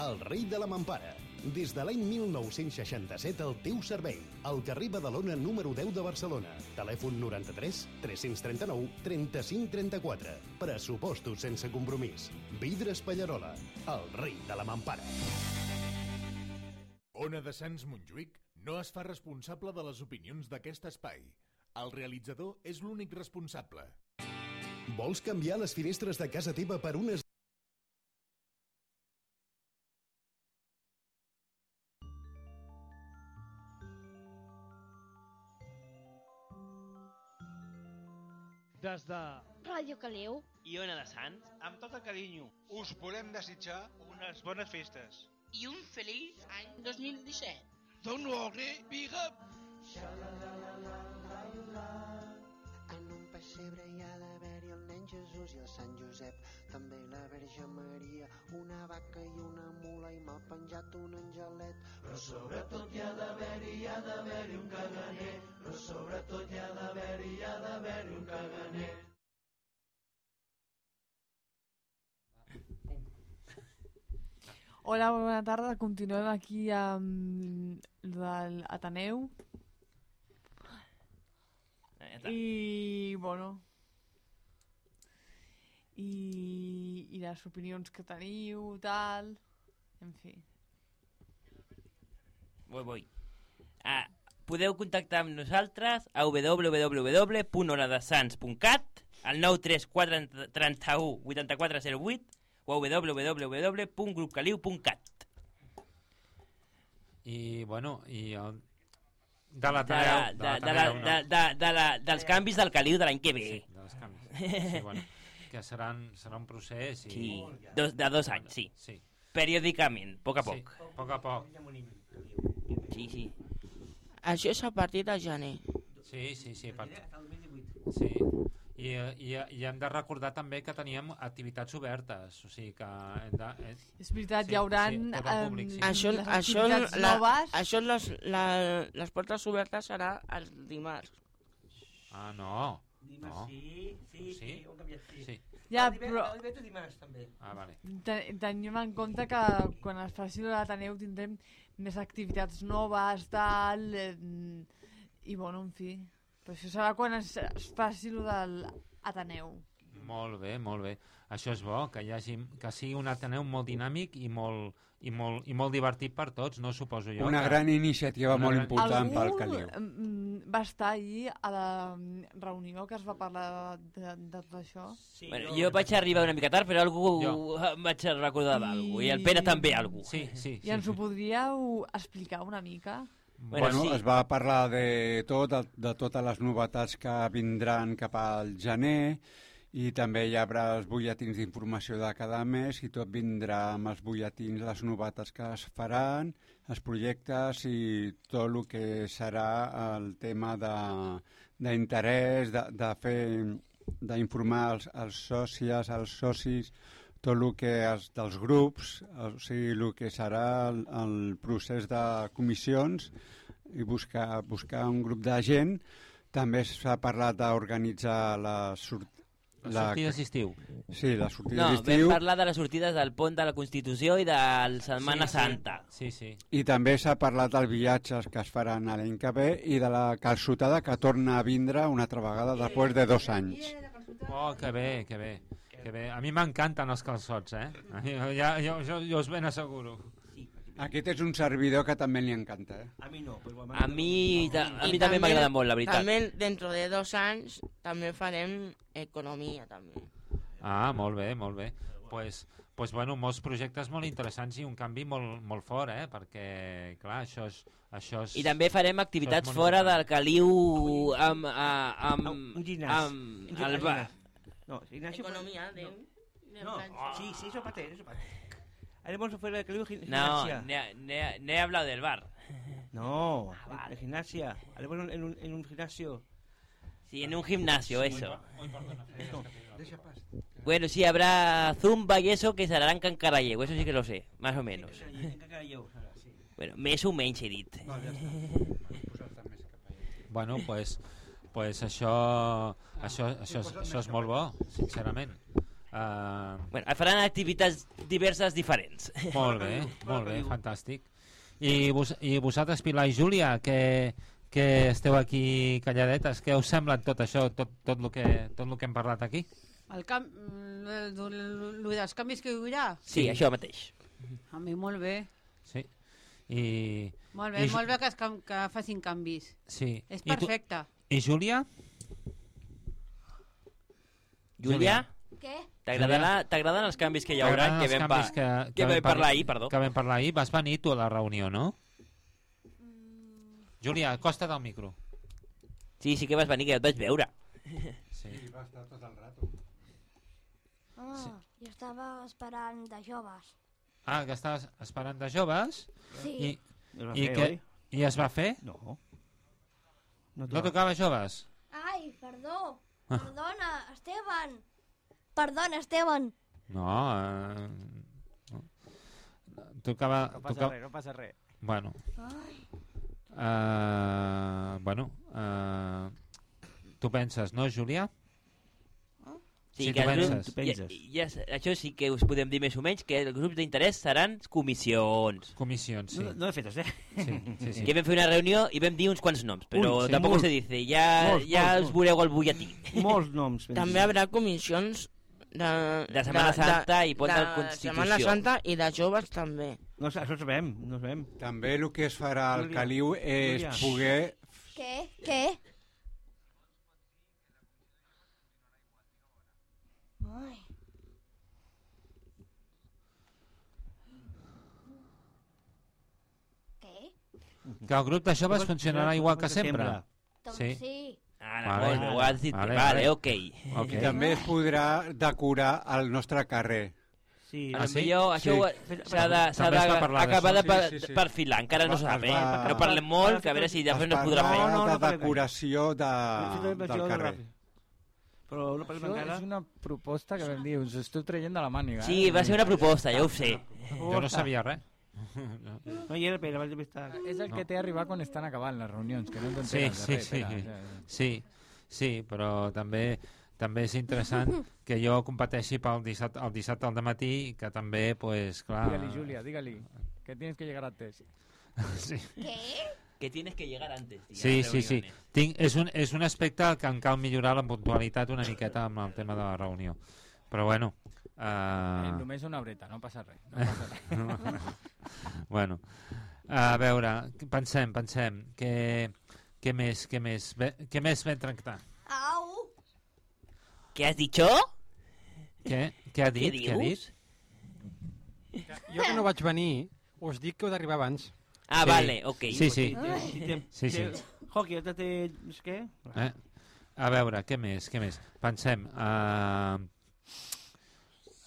el rei de la mampara. Des de l'any mil nou-cents seixanta-set al teu servei. Al carrer Badalona número deu de Barcelona. Telèfon noranta-tres tres-cents trenta-nou trenta-cinc trenta-quatre. Pressupostos sense compromís. Vidres Pallarola, el rei de la mampara. Ona de Sants Montjuïc no es fa responsable de les opinions d'aquest espai. El realitzador és l'únic responsable. Vols canviar les finestres de casa teva per unes... Des de Ràdio Caliu i Ona de Sants, amb tot el carinyo, us volem desitjar unes bones festes. I un feliç any dos mil disset. Don't worry, big up! En un pessebre hi ha d'haver-hi el nen Jesús i el Sant Josep, també la Verge Maria, una vaca i una mula i m'ha penjat un angelet. Però sobretot hi ha d'haver-hi, hi ha d'haver-hi un caganer, però sobretot hi ha d'haver-hi, hi ha d'haver-hi un caganer. Hola, bona tarda. Continuem aquí amb l'Ateneu. I, bueno... I, i les opinions que teniu, tal... En fi. Vull, vull. Ah, podeu contactar amb nosaltres a w w w punt onadesans punt cat, al nou tres quatre tres u vuit quatre zero vuit o a w w w punt grup caliu punt cat. I, bueno, i... El... De la de, la, de, de, la, de, de, de la, dels canvis del Caliu de l'any que ve. Sí, dels canvis. Sí, bueno, que seran, serà un procés i... Sí, dos, de dos anys, sí. Sí. Periòdicament, a poc a poc. Sí, a poc a poc. Sí, sí. Això és a partir de gener. Sí, sí, sí. Part... Sí. I, i, I hem de recordar també que teníem activitats obertes, o sigui que... Hem de, eh... És veritat, sí, hi haurà... Sí, públic, sí. Això, les això, activitats la, noves... això les, la, les portes obertes serà el dimarts. Ah, no. Dimarts, no. sí, sí, sí, ho hem canviat, sí. sí. Ja, el però... El divendres dimarts, també. Ah, vale. Ten tenim en compte que quan es faci l'Ateneu tindrem més activitats noves, tal... Eh, I, bueno, en fi... Però això serà quan es, es faci el de l'Ateneu. Molt bé, molt bé. Això és bo, que hi hagi, que sigui un Ateneu molt dinàmic i molt, i molt, i molt divertit per tots, no suposo jo. Una que... gran iniciativa Una molt gran... important pel Caliu. Algú va estar ahir a la reunió que es va parlar de, de, de tot això? Sí, bueno, jo vaig arribar una mica tard, però algú jo. em vaig recordar d'algú, i... i el Pere també algú. Sí, sí, I ens sí, ho podríeu explicar una mica? Bueno, bueno sí. Es va parlar de tot, de, de totes les novetats que vindran cap al gener, i també hi haurà els butlletins d'informació de cada mes, i tot vindrà amb els butlletins, les novetats que es faran, els projectes i tot el que serà el tema d'interès, de, de, de fer, d'informar els, els sòcies, els socis, tot el que és dels grups, o sigui, el que serà el, el procés de comissions i buscar, buscar un grup de gent. També s'ha parlat d'organitzar la sortida... Les sortides d'estiu. Sí, les sortides no, d'estiu. No, vam parlar de les sortides del Pont de la Constitució i de la Setmana sí, Santa. Sí, sí. I també s'ha parlat dels viatges que es faran a l'any que ve i de la calçotada que torna a vindre una altra vegada després de dos anys. Oh, que bé, que bé. Que bé. A mi m'encanten els calçots, eh? Ja, jo, jo, jo us ben asseguro. Aquest és un servidor que també li encanta, eh? A mi no. Però a mi, a mi també m'agrada molt, la veritat. També dentro de dos anys també farem economia, també. Ah, molt bé, molt bé. Pues, pues bueno, molts projectes molt interessants i un canvi molt, molt fort, eh? Perquè, clar, això és... Això és I també farem activitats fora del Caliu amb... amb, un gimnàs. amb el bar. No, Ignacio... Economía, de... No, sí, sí, eso parte, eso parte. Haremos fuera del Caliu gimnasia. No, no he hablado del bar. No, ah, vale. De gimnasia. Haremos en un, en un gimnasio. Sí, en un gimnasio, eso. Muy, muy no, deja paz. Bueno, sí, habrá zumba y eso que será en Can Caralleu, eso sí que lo sé, más o menos. En Can Caralleu, sí. Bueno, més o menys he dit. No, ja està. Bueno, pues, pues això, això, això, és, això és molt bo, sincerament. Uh... Bueno, faran activitats diverses diferents. Molt bé, molt bé, fantàstic. I, vos, i vosaltres, Pilar i Júlia, que, que esteu aquí calladetes, què us sembla tot això, tot, tot, el que, tot el que hem parlat aquí? El camp... El, el, el dels canvis que hi haurà? Sí, això mateix. A mi molt bé. Sí. I... Molt bé, i, molt bé que, es, que facin canvis. Sí. És perfecte. I, tu, i Júlia? Júlia? Què? T'agraden els canvis que hi haurà? Que vam, pa que, que, que vam parlar ahir, perdó. Que vam parlar ahir. Vas venir tu a la reunió, no? Mm. Júlia, acosta't al micro. Sí, sí que vas venir, que ja et vaig veure. Sí, va estar tot el rato. Ah, sí. Jo estava esperant de joves. Ah, que estaves esperant de joves? Sí. I, Es va i, fer, que, oi? I es va fer? No. No, no tocava joves? Ai, perdó. Ah. Perdona, Esteban. Perdona, Esteban. No, eh... No. Tocava... No passa tocava... res, no passa res. Bueno. Ai. Uh, bueno, uh, tu penses, no, Júlia? Sí, sí, que tu el penses. grup, ja, ja, això sí que us podem dir més o menys, que els grups d'interès seran comissions. Comissions, sí. No, no de fetes, eh? Sí, sí, sí. Que vam fer una reunió i vam dir uns quants noms, però Un, sí, tampoc molt. se dice, ja, Molts, ja molts, els molts. veureu al butlletí. Molts noms. També hi haurà comissions de, de Setmana Santa i Pont de de Constitució. Setmana Santa i de joves també. No, això ho sabem, no ho sabem. També el que es farà al Júlia, Caliu és Júlia. poder... Què? Què? Ai. Què? Que el grup de joves funcionarà igual que sempre. Doncs sí. Ara, vale, molt bé, ho has dit. Vale, vale, ok. okay. I també es podrà decorar el nostre carrer. Sí, ah, sí? Millor, això sí. s'ha d'acabar de, de, de, de perfilar, encara no s'ha de fer. No parlem molt, que a veure si després no es podrà fer. No, no, no, de decoració de, del carrer. Però no parlem encara. És una proposta que vam dir, us estic traient de la màniga. Sí, va ser una proposta, ja ho sé. Jo no sabia res. No hi era Pere, vaig estar. És el que té arribar quan estan acabant les reunions, que no Sí, t'enteres sí, de res. sí, Pere. sí, sí, però també també és interessant que jo competeixi pel dissabte, el dissabte al dematí i que també, pues, clar... Digue-li, Júlia, digue-li, que tienes que llegar antes. Sí. Què? Que tienes que llegar antes. Sí, sí, sí. Tinc, és, un, és un aspecte que em cal millorar la puntualitat una miqueta amb el tema de la reunió. Però bueno... Uh... Eh, només una horeta, no passa res. No passa res. Bueno, a veure, pensem, pensem, què, què més, què més, bé, què més vam tractar? Au! Què has dit, jo? Què? Què ha dit? Què Què ha dit? Jo que no vaig venir, us dic que heu d'arribar abans. Ah, sí. vale, ok. Sí, sí. Sí, sí. Hockey, ja té... què? Eh? A veure, què més, què més? Pensem... Uh...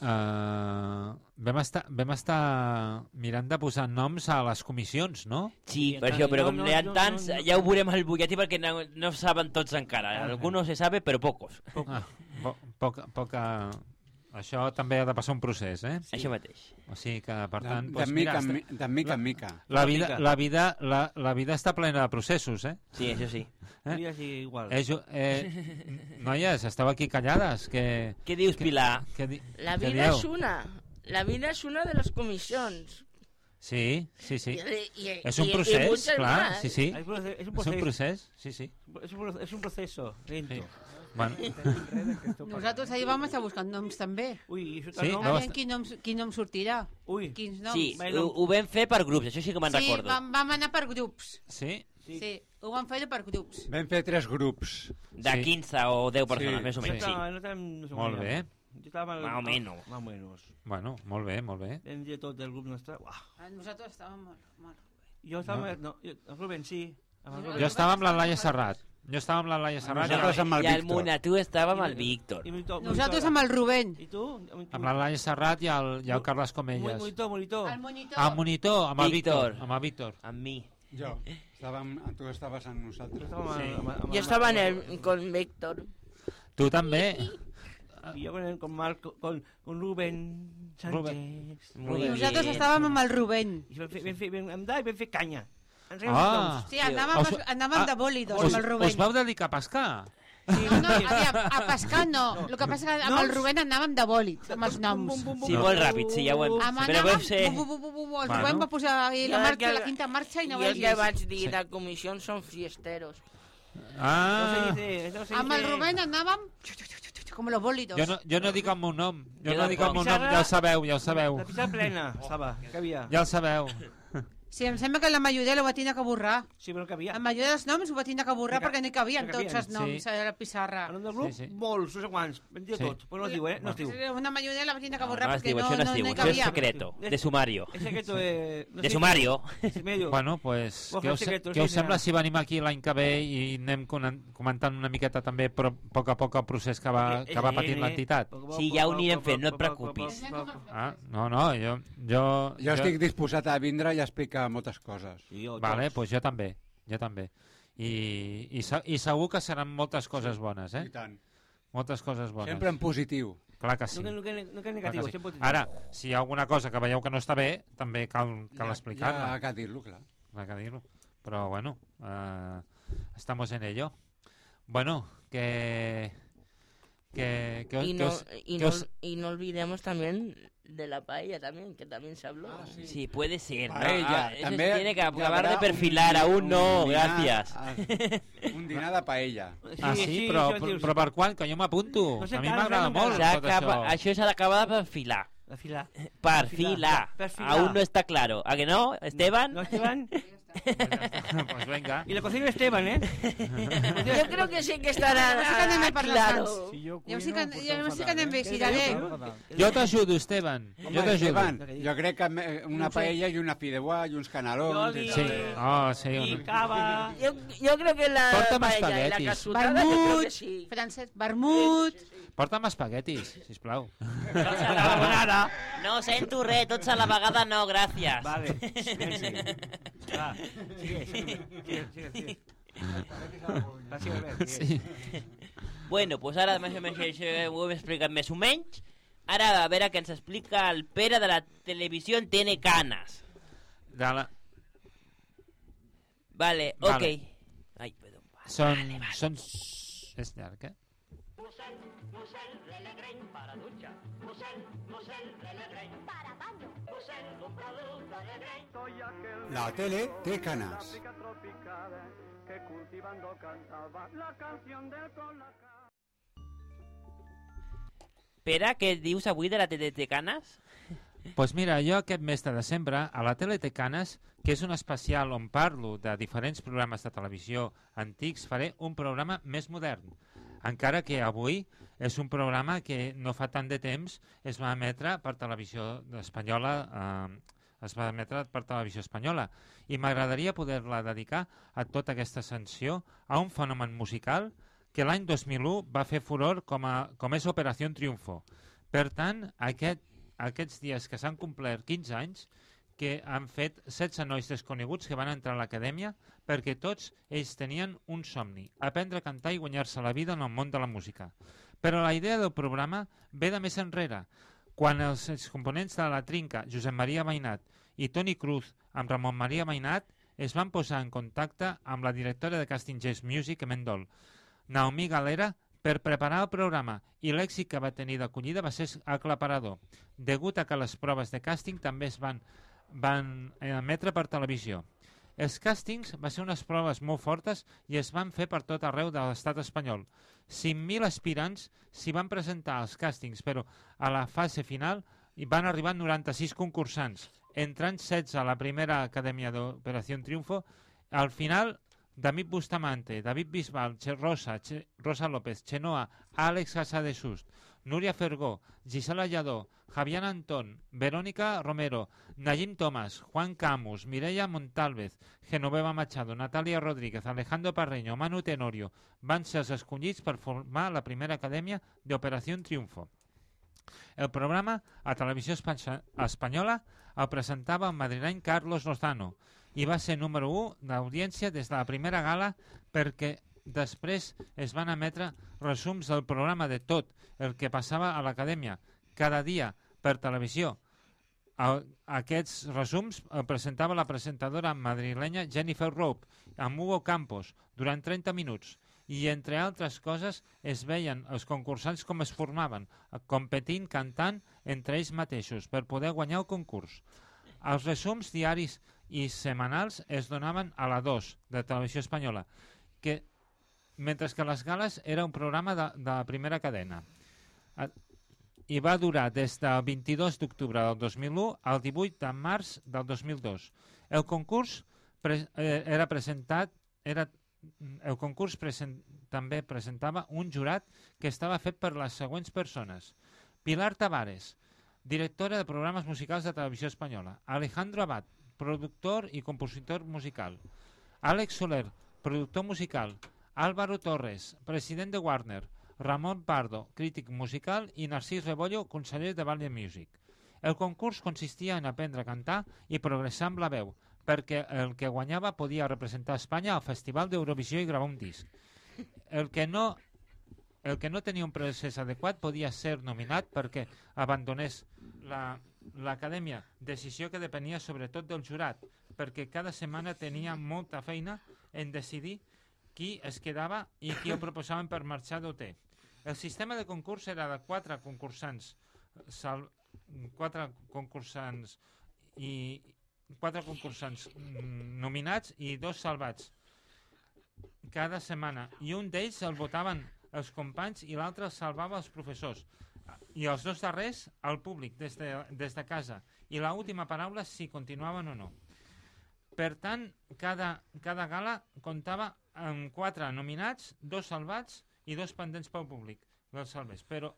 Uh, vam, estar, vam estar mirant de posar noms a les comissions, no? Sí, per això, però com n'hi ha tants, ja ho veurem al butlletí perquè no, no saben tots encara. Algunos se sabe, però pocos. Ah, po poca, poca... Això també ha de passar un procés, eh? Sí. Això mateix. O sigui que, per De, tant... de, doncs, mica, mira, mi, de mica en mica. La vida, la, vida, la, la vida està plena de processos, eh? Sí, això sí. Eh? Sí, igual. Eh, jo, eh, noies, esteu aquí callades. Que, Què dius, Pilar? Que, que, La que vida dieu? és una. La vida és una de les comissions. Sí, sí, sí. I, i, és un i, procés, i muchas clar, más. sí, sí. És un procés, És un procés, sí, sí. És un, és un proceso, lento. Sí. Bueno. Nosaltres ahir vam estar buscant noms també. Ui, això Sí, no? no, Aviam quin nom, quin nom sortirà. Ui. Quins noms. Sí, ho, ho vam fer per grups, això sí que me'n sí, recordo. vam, vam anar per grups. Sí? Sí. sí, ho vam fer per grups. Vam fer tres grups. De Sí. quinze o deu persones, Sí. més o menys, sí. No, no tenim, no sé Molt bé. Jo estava... Más o menos. Más o menos. Bueno, molt bé, molt bé. Vam dir tot el grup nostre. Uah. Nosaltres estàvem molt... molt... Jo estava... No. No, jo, el Rubén, sí. Amb el Rubén. Jo estava amb la Laia Serrat. Jo estava amb la Laia Serrat. Nosaltres amb el I el Víctor. Monatú estava amb el Víctor. I monitor, Nosaltres amb el Rubén. I tu? Amb la Laia Serrat i el, i el Carles Comelles. Monitor, monitor. El monitor. Ah, monitor, amb el Víctor. Víctor. Amb el Víctor. Amb mi. Jo. Estàvem, tu estaves amb nosaltres. Sí. Yo estaba en el, con Víctor. Tu també. Y yo con, el, con, Marco, con, con Rubén Sánchez. Rubén. Muy Nosaltres bien. estàvem amb el Rubén. I vam fer, vam fer, vam andar i vam fer canya. Ens Ah. Sí, anàvem, Us- anàvem ah, de bòlidos Us, amb el Rubén. us vau dedicar a pescar? No, no, aviam, a pescar no. El que passa que amb el Rubén anàvem de bòlit, amb els noms. Sí, molt ràpid, sí, ja ho hem... Amb Però anàvem, veu ser... bu, bu, bu, bu, bu, el Rubén va posar ahí la, marxa, la quinta marxa i no jo el que vegis. vaig dir de comissió són fiesteros. Ah. Amb el Rubén anàvem com los bòlidos. Jo no, jo no dic el meu nom. Jo Jo no dic el meu nom, ja ho sabeu, ja ho sabeu. La pista plena estava, que havia. Ja ho sabeu. Sí, em sembla que la majoria ho va tenir que borrar. Sí, però que havia. La majoria dels noms ho va tenir que borrar Que- perquè no hi cabien que tots cabien. els noms Sí. a la pissarra. El nom del grup, Sí, sí. molts, no sé quants, ben dir Sí. tot, però no es diu, eh? No es diu. Una majoria la va tenir que No, borrar no es perquè diu, no, això no es no, diu, no hi això és cabia. secreto, de sumario. És secreto de... No De sé sumario. què. Medio. Bueno, pues, Vos què feu us, secretos, què us sí, sembla ja. si venim aquí l'any que ve i anem conan- comentant una miqueta també però, a poc a poc el procés que va, que va patint l'entitat? Sí, ja ho anirem fent, no et preocupis. Ah, no, no, jo... Jo, Jo estic disposat a vindre i a explicar moltes coses. Vale, doncs jo també, jo també. I, i, se- I segur que seran moltes coses bones, eh? I tant. Moltes coses bones. Sempre en positiu. Clar que sí. No, no, no, no, Clar negatiu, que sí. sempre positiu. Ara, si hi ha alguna cosa que veieu que no està bé, també cal, cal Ja- explicar-la. ja cal dir-lo, clar. Cal que dir-lo. Però bueno, eh, estamos en ello. Bueno, que... que, que, Y que no, os- y, que no, os- y no olvidemos también de la paella también, que también se habló. Sí, puede ser. ¿no? Paella, Ah, eso també se tiene que hi acabar haurà de perfilar, un- aún no, un dinar, gracias. ah, un dinar de paella. Ah, sí? Però, però, però per quan? Que jo m'apunto. No sé A mi tant, m'agrada no sé molt S'ha tot acaba- això. Això s'ha d'acabar de perfilar. Perfilar. Perfilar. Perfilar. Aún no está claro. ¿A que no, Esteban? No, Esteban. Pues venga. Y la cocina Esteban, ¿eh? Yo creo que sí que estarà Ja sí que anem a parlar claro. sans. Si jo Ja sí cuino, que, pues ja todo sí que fatal, anem bé, eh? Ciraré. Todo fatal. Jo t'ajudo, Esteban. Jo Home, t'ajudo. Esteban, jo crec que me- una paella i una fideuà i uns canelons... Oli. Sí. Oh, sí. Y cava. Yo, yo creo que la Porta'm paella y la espaguetis. casutada, yo creo Vermut, que sí. Francesc, vermut. Porta'm espaguetis, sisplau. Carbonara. No sento res, tots a la vegada no, gràcies. Vale. Silenci. Va, sigue, sigue. Sigue, sigue, sigue. Va, sigue, sigue. Sí. Bueno, pues ara més o menys això ho hem explicat més o menys. Ara a veure què ens explica el Pere de la televisió Tiene Canas. De la... Vale, Vale. ok. Ai, perdó. Són... són... És llarg, eh? La tele té canes. Pere, què dius avui de la tele de Canas? Pues mira, jo aquest mes de desembre a la tele té Canes, que és un especial on parlo de diferents programes de televisió antics, faré un programa més modern. Encara que avui és un programa que no fa tant de temps es va emetre per televisió espanyola, eh, es va emetre per televisió espanyola, i m'agradaria poder-la dedicar a tota aquesta ascensió a un fenomen musical que l'any dos mil u va fer furor com, a, com és Operació Triunfo. Per tant, aquest, aquests dies que s'han complert quinze anys, que han fet setze nois desconeguts que van entrar a l'acadèmia perquè tots ells tenien un somni, aprendre a cantar i guanyar-se la vida en el món de la música. Però la idea del programa ve de més enrere, quan els components de la Trinca, Josep Maria Mainat i Toni Cruz, amb Ramon Maria Mainat, es van posar en contacte amb la directora de Casting Jazz Music, Mendol, Naomi Galera, per preparar el programa, i l'èxit que va tenir d'acollida va ser aclaparador, degut a que les proves de càsting també es van, van emetre per televisió. Els càstings van ser unes proves molt fortes i es van fer per tot arreu de l'estat espanyol. cinc mil aspirants s'hi van presentar als càstings, però a la fase final hi van arribar noranta-sis concursants, entrant setze a la primera acadèmia d'Operació Triunfo. Al final, David Bustamante, David Bisbal, Che Rosa, che Rosa López, Chenoa, Àlex Casadesús, Núria Fergó, Gisela Lladó, Javier Antón, Verónica Romero, Nayim Tomás, Juan Camus, Mireia Montalvez, Genoveva Machado, Natalia Rodríguez, Alejandro Parreño, Manu Tenorio van ser els escollits per formar la primera acadèmia d'Operació Triunfo. El programa a Televisió Espanyola el presentava el madrileny Carlos Lozano i va ser número u d'audiència des de la primera gala perquè després es van emetre resums del programa de tot el que passava a l'acadèmia cada dia per televisió. Aquests resums el presentava la presentadora madrilenya Jennifer Rope amb Hugo Campos durant trenta minuts i, entre altres coses, es veien els concursants com es formaven, competint, cantant entre ells mateixos per poder guanyar el concurs. Els resums diaris i setmanals es donaven a la dos de Televisió Espanyola, que, mentre que les gales era un programa de, de la primera cadena. I va durar des del vint-i-dos d'octubre del dos mil u al divuit de març del dos mil dos. El concurs pre eh, era presentat, era, el concurs present, també presentava un jurat que estava fet per les següents persones. Pilar Tavares, directora de programes musicals de Televisió Espanyola. Alejandro Abad, productor i compositor musical. Àlex Soler, productor musical. Álvaro Torres, president de Warner. Ramon Pardo, crític musical, i Narcís Rebollo, conseller de Valiant Music. El concurs consistia en aprendre a cantar i progressar amb la veu, perquè el que guanyava podia representar Espanya al Festival d'Eurovisió i gravar un disc. El que no, el que no tenia un procés adequat podia ser nominat perquè abandonés l'acadèmia, la, decisió que depenia sobretot del jurat, perquè cada setmana tenia molta feina en decidir qui es quedava i qui el proposaven per marxar d'O T. El sistema de concurs era de quatre concursants, sal, quatre concursants i quatre concursants nominats i dos salvats cada setmana, i un d'ells el votaven els companys i l'altre el salvava els professors, i els dos darrers al públic des de, des de casa, i l'última paraula si continuaven o no. Per tant, cada, cada gala comptava amb quatre nominats, dos salvats i dos pendents pel públic, dels salvers. Però,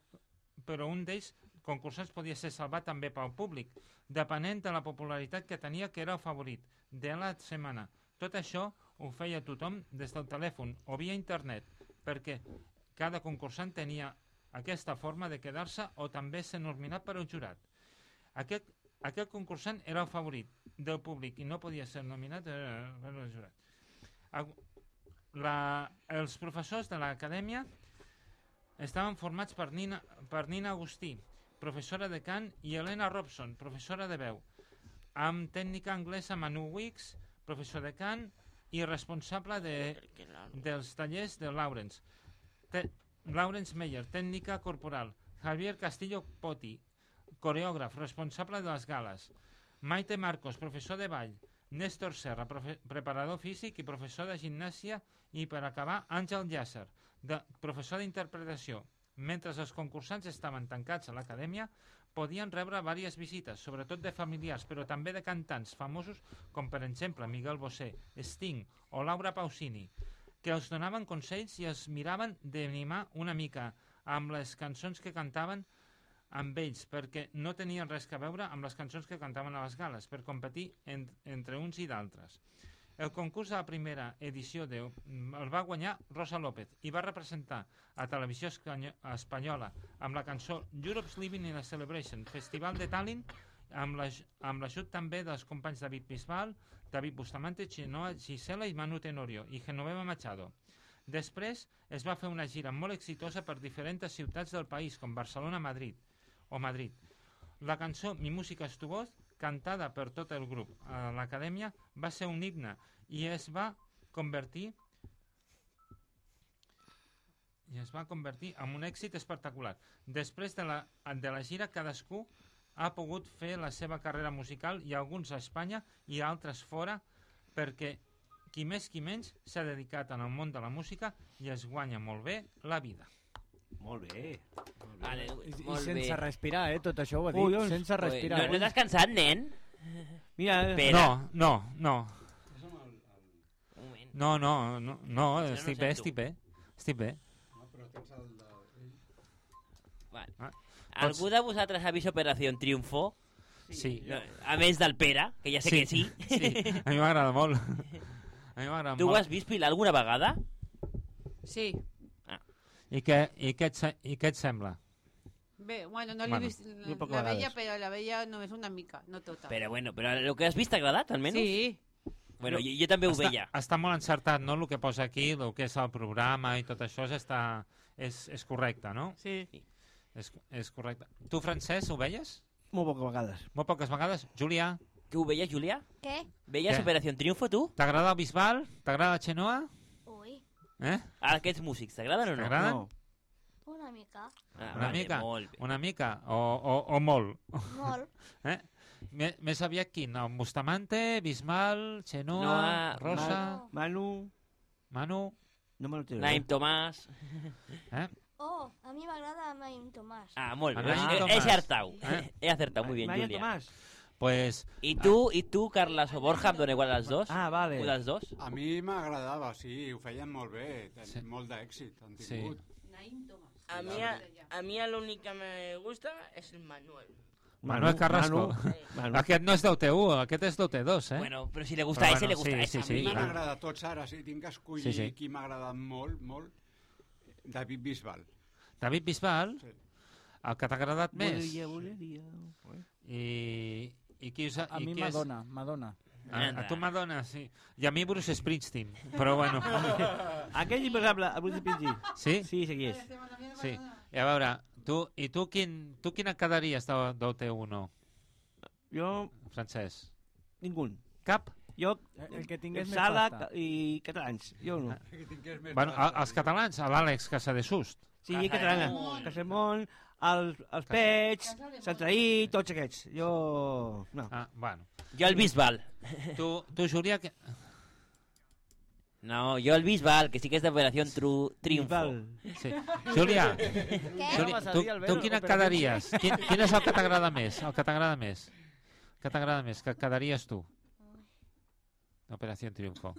però un d'ells, concursants, podia ser salvat també pel públic, depenent de la popularitat que tenia, que era el favorit de la setmana. Tot això ho feia tothom des del telèfon o via internet, perquè cada concursant tenia aquesta forma de quedar-se o també ser nominat per un jurat. Aquest, aquest concursant era el favorit del públic i no podia ser nominat per el jurat. La, els professors de l'acadèmia estaven formats per Nina, per Nina Agustí, professora de cant, i Helena Robson, professora de veu, amb tècnica anglesa Manu Wicks, professor de cant i responsable de, dels tallers de Lawrence. Te, Lawrence Meyer, tècnica corporal. Javier Castillo Poti, coreògraf, responsable de les gales. Maite Marcos, professor de ball. Néstor Serra, preparador físic i professor de gimnàsia, i per acabar Àngel Llàcer, de, professor d'interpretació. Mentre els concursants estaven tancats a l'acadèmia, podien rebre diverses visites, sobretot de familiars, però també de cantants famosos com per exemple Miguel Bosé, Sting o Laura Pausini, que els donaven consells i els miraven d'animar una mica amb les cançons que cantaven amb ells, perquè no tenien res a veure amb les cançons que cantaven a les gales, per competir en, entre uns i d'altres. El concurs de la primera edició de, el va guanyar Rosa López i va representar a Televisió Espanyola amb la cançó Europe's Living in a Celebration, Festival de Tallinn, amb l'ajut també dels companys David Bisbal, David Bustamante, Chenoa Gisela i Manu Tenorio i Genoveva Machado. Després es va fer una gira molt exitosa per diferents ciutats del país, com Barcelona, Madrid o Madrid. La cançó Mi música es tu voz, cantada per tot el grup a l'acadèmia, va ser un himne i es va convertir i es va convertir en un èxit espectacular. Després de la, de la gira, cadascú ha pogut fer la seva carrera musical, i alguns a Espanya i altres fora, perquè qui més qui menys s'ha dedicat en el món de la música i es guanya molt bé la vida. Molt bé. Molt bé. Vale, I, molt I sense bé. respirar, eh? Tot això ho ha dit. Ui, doncs... Sense respirar. No, no t'has cansat, nen? Mira, no, no, no. No, no, no, no, estic bé, estic bé. Estic bé. No, però tens el de... Vale. Ah, algú de vosaltres ha vist Operació Triunfo? Sí. No, a més del Pere, que ja sé sí. que sí. Sí, a mi m'agrada molt. A mi m'agrada molt. Tu ho has vist, Pilar, alguna vegada? Sí. Ah. I, què, i, què et, I què et sembla? Bé, bueno, no l'he Bueno, vist la, la veia, però la veia només una mica, no tota. Però bueno, però el que has vist t'ha agradat, almenys? Sí. Bueno, jo, jo també ho està, veia. Està molt encertat, no?, el que posa aquí, el que és el programa i tot això és, està, és, és correcte, no? Sí. És, és correcte. Tu, Francesc, ho veies? Molt poques vegades. Molt poques vegades. Julià? Que ho veies, Julià? Què? Veies Què? Operació Triunfo, tu? T'agrada el Bisbal? T'agrada la Chenoa? Ui. Eh? Aquests músics, t'agraden o no? T'agraden? No. Una mica. Ah, Una vale, mica? molt bé. Una mica? O, o, o molt? Molt. Eh? M més aviat quin? El Bustamante, Bisbal, Xenoa, Noa, Rosa... Manu... Manu... No me lo tiro. Naim Tomàs... Eh? Oh, a mi m'agrada Naim Tomàs. Ah, molt bé. Naim He, Tomàs. he acertado. Eh? He acertado muy bien, Naim Julia. Tomàs. Pues... I tu, i tu, Carles o Borja, em dona igual als dos? Ah, vale. Un dels dos? A mi m'agradava, sí, ho feien molt bé, ten sí. molt d'èxit han Sí. tingut. A mí, a, a mí el únic que me gusta és el Manuel. Manuel Carrasco. Manu, Manu. Aquest no és d'O T u, aquest és d'O T dos, eh? Bueno, però si le gusta a ese, le gusta a ese. Sí, sí, A mi sí. m'han agradat tots ara, si tinc que escollir Sí, sí. qui m'ha agradat molt, molt, David Bisbal. David Bisbal, Sí. el que t'ha agradat més. Voleria, voleria... I, i qui us ha, A i mi qui és- Madonna, Madonna. A, a tu Madonna, sí. I a mi Bruce Springsteen, però bueno. Aquell imposable, el Bruce Springsteen. Sí? Sí, sí, és. Sí. I a veure, tu, i tu, quin, tu quina et quedaries d'O T u, no? Jo... Francesc. Ningú. Cap? Jo... El que tingués més Sala pasta. i catalans. Jo no. Bueno, a, els catalans, a l'Àlex Casadesús. Sí, catalana. Casamont, els, els Pets, Sant Traí, tots aquests. Jo... No. Ah, bueno. Jo el Bisbal. Tu, tu Júlia... Que... No, jo el Bisbal, que sí que és d'Operació Triunfo. Sí. Júlia, Què? Júlia tu, tu quina et quedaries? Quin, quin és el que t'agrada més? El que t'agrada més? Que t'agrada més? Que et quedaries tu? Operació Triunfo.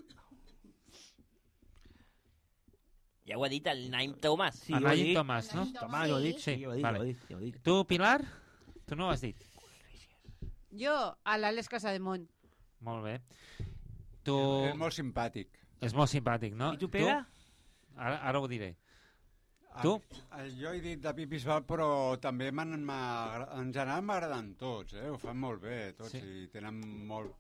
Ja ho ha dit el Naim Tomàs. Sí, el ho ha Naim dit. Tomàs, no? Tomàs, ho ha dit. Sí, Sí, ho ha dit, vale. ho ha dit, ho ha dit. Tu, Pilar? Tu no ho has dit. Jo, a l'Àlex Casademont. Molt bé. Tu... És molt simpàtic. És molt simpàtic, no? I tu, Pere? Ara, ara ho diré. Tu? Ah, jo he dit David Bisbal, però també m'han- m'agra- en general m'agraden tots, eh? Ho fan molt bé, tots, Sí. i tenen molt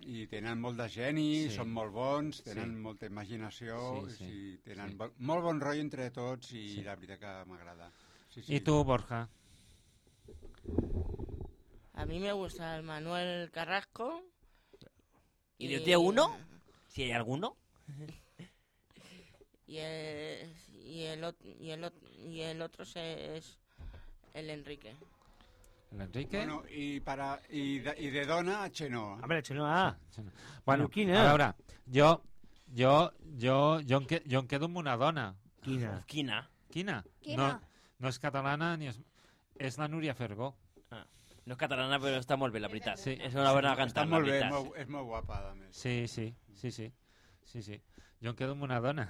i tenen molt de geni, Sí. són molt bons, tenen Sí. molta imaginació, Sí, sí. i tenen Sí. bo- molt bon rotllo entre tots i Sí. la veritat que m'agrada. Sí, I tu, Borja? A mí me gusta el Manuel Carrasco. ¿Y de T uno? Si hay alguno. Y el, y el, ot- y el, ot- y el otro se- es el Enrique. L'Enrique? Bueno, i, para, i, de, i de dona, Xenoa. A veure, Xenoa. Bueno, quina? a veure, jo, jo, jo, jo, em que, jo em quedo amb una dona. Quina? Quina? Quina? Quina? No, no és catalana ni és... És la Núria Fergó. Ah, no és catalana, però està molt bé, la veritat. Sí. És una bona Està cantant, molt la bé, és veritat. molt, és molt guapa, a més. Sí, sí, sí, sí. Sí, sí. Jo em quedo amb una dona.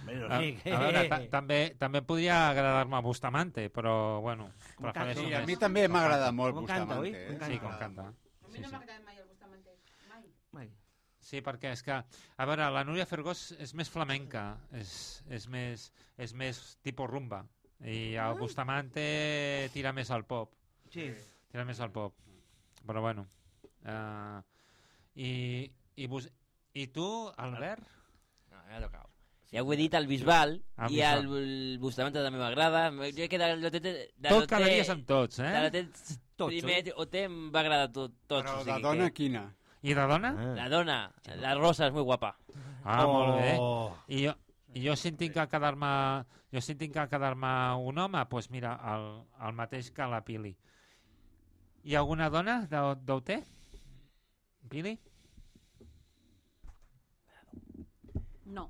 Bueno, a, sí, a veure, ta també, també podria agradar-me Bustamante, però, bueno, Com prefereixo Sí, més. a mi també m'agrada molt Com canta, Bustamante. oi? Eh? Com Sí, canta. com canta. A mi no m'ha agradat mai el Bustamante. Mai. Mai. Sí, perquè és que, a veure, la Núria Fergó és, és més flamenca, és, és, més, és més tipus rumba, i el Bustamante tira més al pop. Sí. Tira més al pop. Però bueno. Uh, i, i, bus, I tu, Albert? No, ja tocava. Ja ho he dit, el Bisbal, El i Bisbal. el, el Bustamante també m'agrada. Jo he quedat... De, de, de Tot quedaries amb tots, eh? De l'Otet Tots, primer O T em va agradar tot, tots. Però o de sigui dona, que... quina? I de dona? La dona, la Rosa és molt guapa. Ah, Oh. molt bé. I jo, i jo si en tinc que quedar-me jo si en tinc que quedar-me un home, doncs pues mira, el, el mateix que la Pili. Hi ha alguna dona d'O T? Pili? No.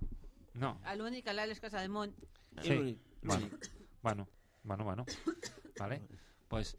No. L'únic, l'Àlex Casademont. Sí. Bueno, bueno, bueno, bueno. Vale. Pues,